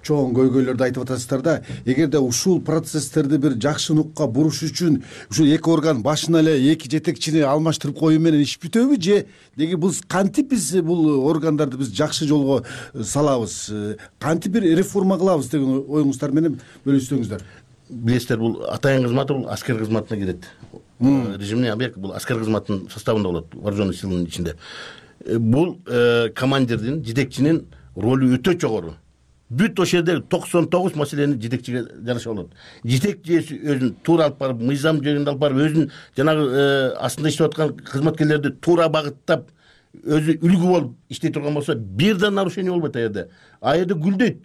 чоң көйгөйлөрдү айтып атасыздар да. Эгерде ушул процесстерди бир жакшы нукка буруш үчүн ушул эки орган башына эле эки жетекчини алмаштырып коюу менен иш бүтөбү же деги биз кантип биз бул органдарды биз жакшы жолго салабыз, кантип бир реформа кылабыз деген оюңуздар менен бөлүшсөңүздөр. Билесиздер, бул атайын кызматы бул аскер кызматына кирет. Режимный объект бул аскер кызматынын составында болот, вооруженный силанын ичинде. Бул командирдин, жетекчинин ролу өтө жогору. Бүт ошол жерде 99 маселени жетекчиге жараша болот. Жетекчи өзүн туура алып барып, мыйзам жөнүндө алып барып, өзүн жанагы астында иштеп аткан кызматкерлерди туура багыттап, өзү үлгү болуп иштей турган болсо, бир да нарушение болбойт аерде. Аерде гүлдөйт.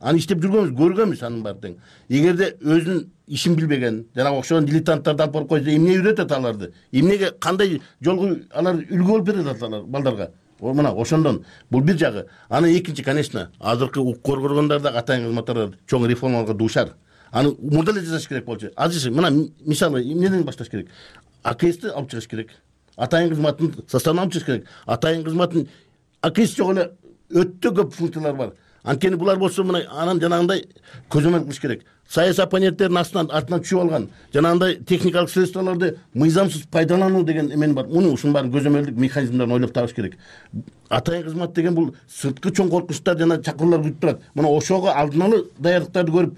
Аны иштеп жүргөнбүз, көргөнбүз анын баары тең. Эгерде өзүнүн ишин билбеген, жанагы окшогон дилетанттарды алып барып койсо, эмне үйрөтөт аларды? Эмнеге кандай жолго алар үлгү болуп берет алар балдарга? Мына ошондон бул бир жагы. Анан экинчи, конечно, азыркы укук коргоо органдарында атайын кызматтар чоң реформаларга дуушар. Аны мурда эле жасаш керек болчу. Азыр мына мисалы эмнеден башташ керек? АКСти алып чыгыш керек. Атайын кызматтын составына алып чыгыш керек. Атайын кызматтын АКС жок эле өтө көп функциялар бар. Анткени булар болсо мына анан жанагындай көзөмөл кылыш керек. Саясий оппоненттердин артынан түшүп алган жанагындай техникалык средстволорду мыйзамсыз пайдалануу деген эмен бар. Муну ушунун баарын көзөмөлдүк механизмдерин ойлоп табыш керек. Атайын кызмат деген бул сырткы чоң коркунучтар жана чакыруулар күтүп турат. Мына ошого алдын ала даярдыктарды көрүп,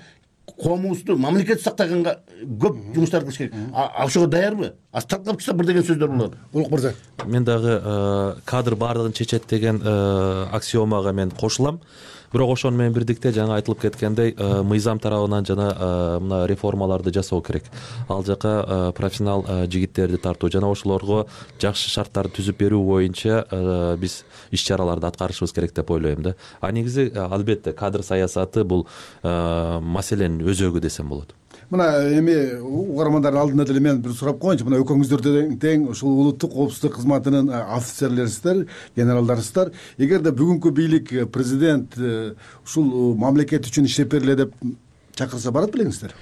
коомубузду мамлекет сактаганга көп жумуштар кылыш керек. Ошого даярбы? Асталкап чыкса бир деген сөздөр болот. Улук мырза. Мен дагы кадр баардыгын чечет деген аксиомага мен кошулам. Бирок ошону менен бирдикте жаңы айтылып кеткендей, мыйзам тарабынан жана мына реформаларды жасоо керек. Ал жака профессионал жигиттерди тартуу жана ошолорго жакшы шарттарды түзүп берүү боюнча биз иш-чараларды аткарышыбыз керек деп ойлойм да. Негизи албетте кадр саясаты бул маселенин өзөгү десем болот. Мына эми угармандардын алдында деле мен бир сурап коеюнчу. Мына экөөңүздөр тең ушул улуттук коопсуздук кызматынын офицерлерисиздер, генералдарысыздар. Эгерде бүгүнкү бийлик, президент ушул мамлекет үчүн иштеп бергиле деп чакырса барат белеңиздер?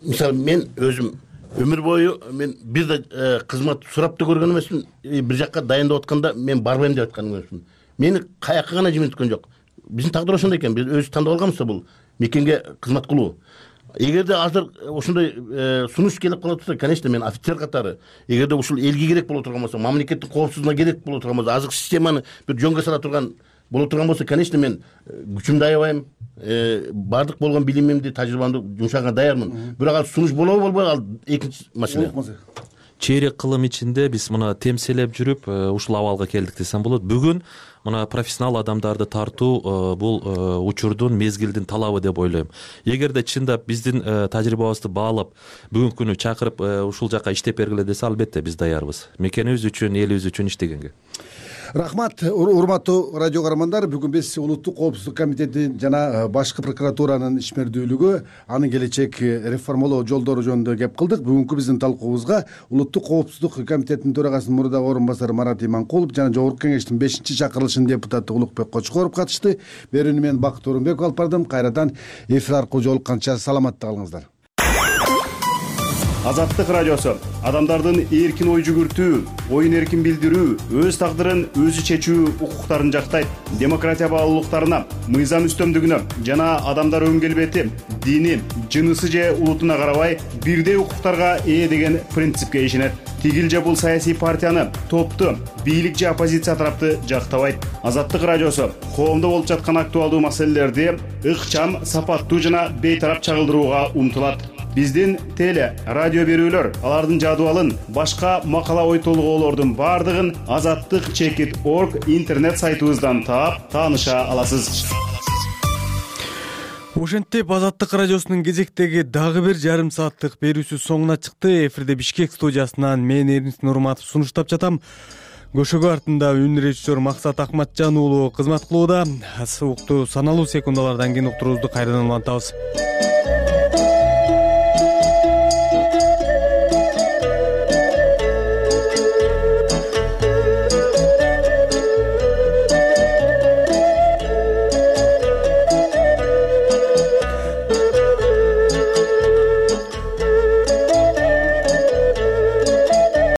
Мисалы мен өзүм өмүр бою мен бир да кызмат сурап да көргөн эмесмин. Бир жакка дайындап атканда мен барбайм деп айткан эмесмин. Мени каяка гана жиберткөн жок. Биздин тагдыр ошондой экен. Биз өзүбүз тандап алганбыз да бул мекенге кызмат кылуу. Эгерде азыр ошондой сунуш келип кала турса, конечно, мен офицер катары, эгерде ушул элге керек боло турган болсо, мамлекеттин коопсуздугуна керек боло турган болсо, азыркы системаны бир жөнгө сала турган боло турган болсо, конечно, мен күчүмдү аябайм, баардык болгон билимимди, тажрыйбамды жумшаганга даярмын. Бирок ал сунуш болобу болбойбу, ал экинчи маселе. Чейрек кылым ичинде биз мына темселеп жүрүп ушул абалга келдик десем болот. Бүгүн мына профессионал адамдарды тартуу бул учурдун, мезгилдин талабы деп ойлойм. Эгерде чындап биздин тажрыйбабызды баалап, бүгүнкү күнү чакырып ушул жака иштеп бергиле десе, албетте биз даярбыз. Мекенибиз үчүн, элибиз үчүн иштегенге. Рахмат, урматтуу радио каармандар. Бүгүн биз улуттук коопсуздук комитети жана башкы прокуратуранын ишмердүүлүгү, анын келечек реформалоо жолдору жөнүндө кеп кылдык. Бүгүнкү биздин талкуубузга улуттук коопсуздук комитетинин төрагасынын мурдагы орун басары Марат Иманкулов жана Жогорку кеңештин 5-чакырылышынын депутаты Улукбек Кочкоров катышты. Берүүнү мен Бакыт Орунбеков алып бардым. Кайрадан эфир аркылуу жолукканча саламатта калыңыздар. Азаттык радиосу адамдардын эркин ой жүгүртүү, оюн эркин билдирүү, өз тагдырын өзү чечүү укуктарын жактайт. Демократия баалуулуктарына, мыйзам үстөмдүгүнө жана адамдар өн келбети, дини, жынысы же улутуна карабай бирдей укуктарга ээ деген принципке ишенет. Тигил же бул саясий партияны, топту, бийлик же оппозиция тарапты жактабайт. Азаттык радиосу коомдо болуп жаткан актуалдуу маселелерди ыкчам, сапаттуу жана бейтарап чагылдырууга умтулат. Биздин теле, радио берүүлөр, алардын жадыбалын, башка макала ой толгоолордун бардыгын azattik.org интернет сайтыбыздан таап, тааныша аласыз. Ошентип Азаттык радиосунун кезектеги дагы бир жарым сааттык берүүсү соңуна чыкты. Эфирде Бишкек студиясынан мен Эрнис Нурматов сунуштап жатам. Көшөгө артында үн режиссер Максат Акматжан уулу кызмат кылууда. Сууктуу саналуу секундалардан кийин уктуруубузду кайрадан улантабыз.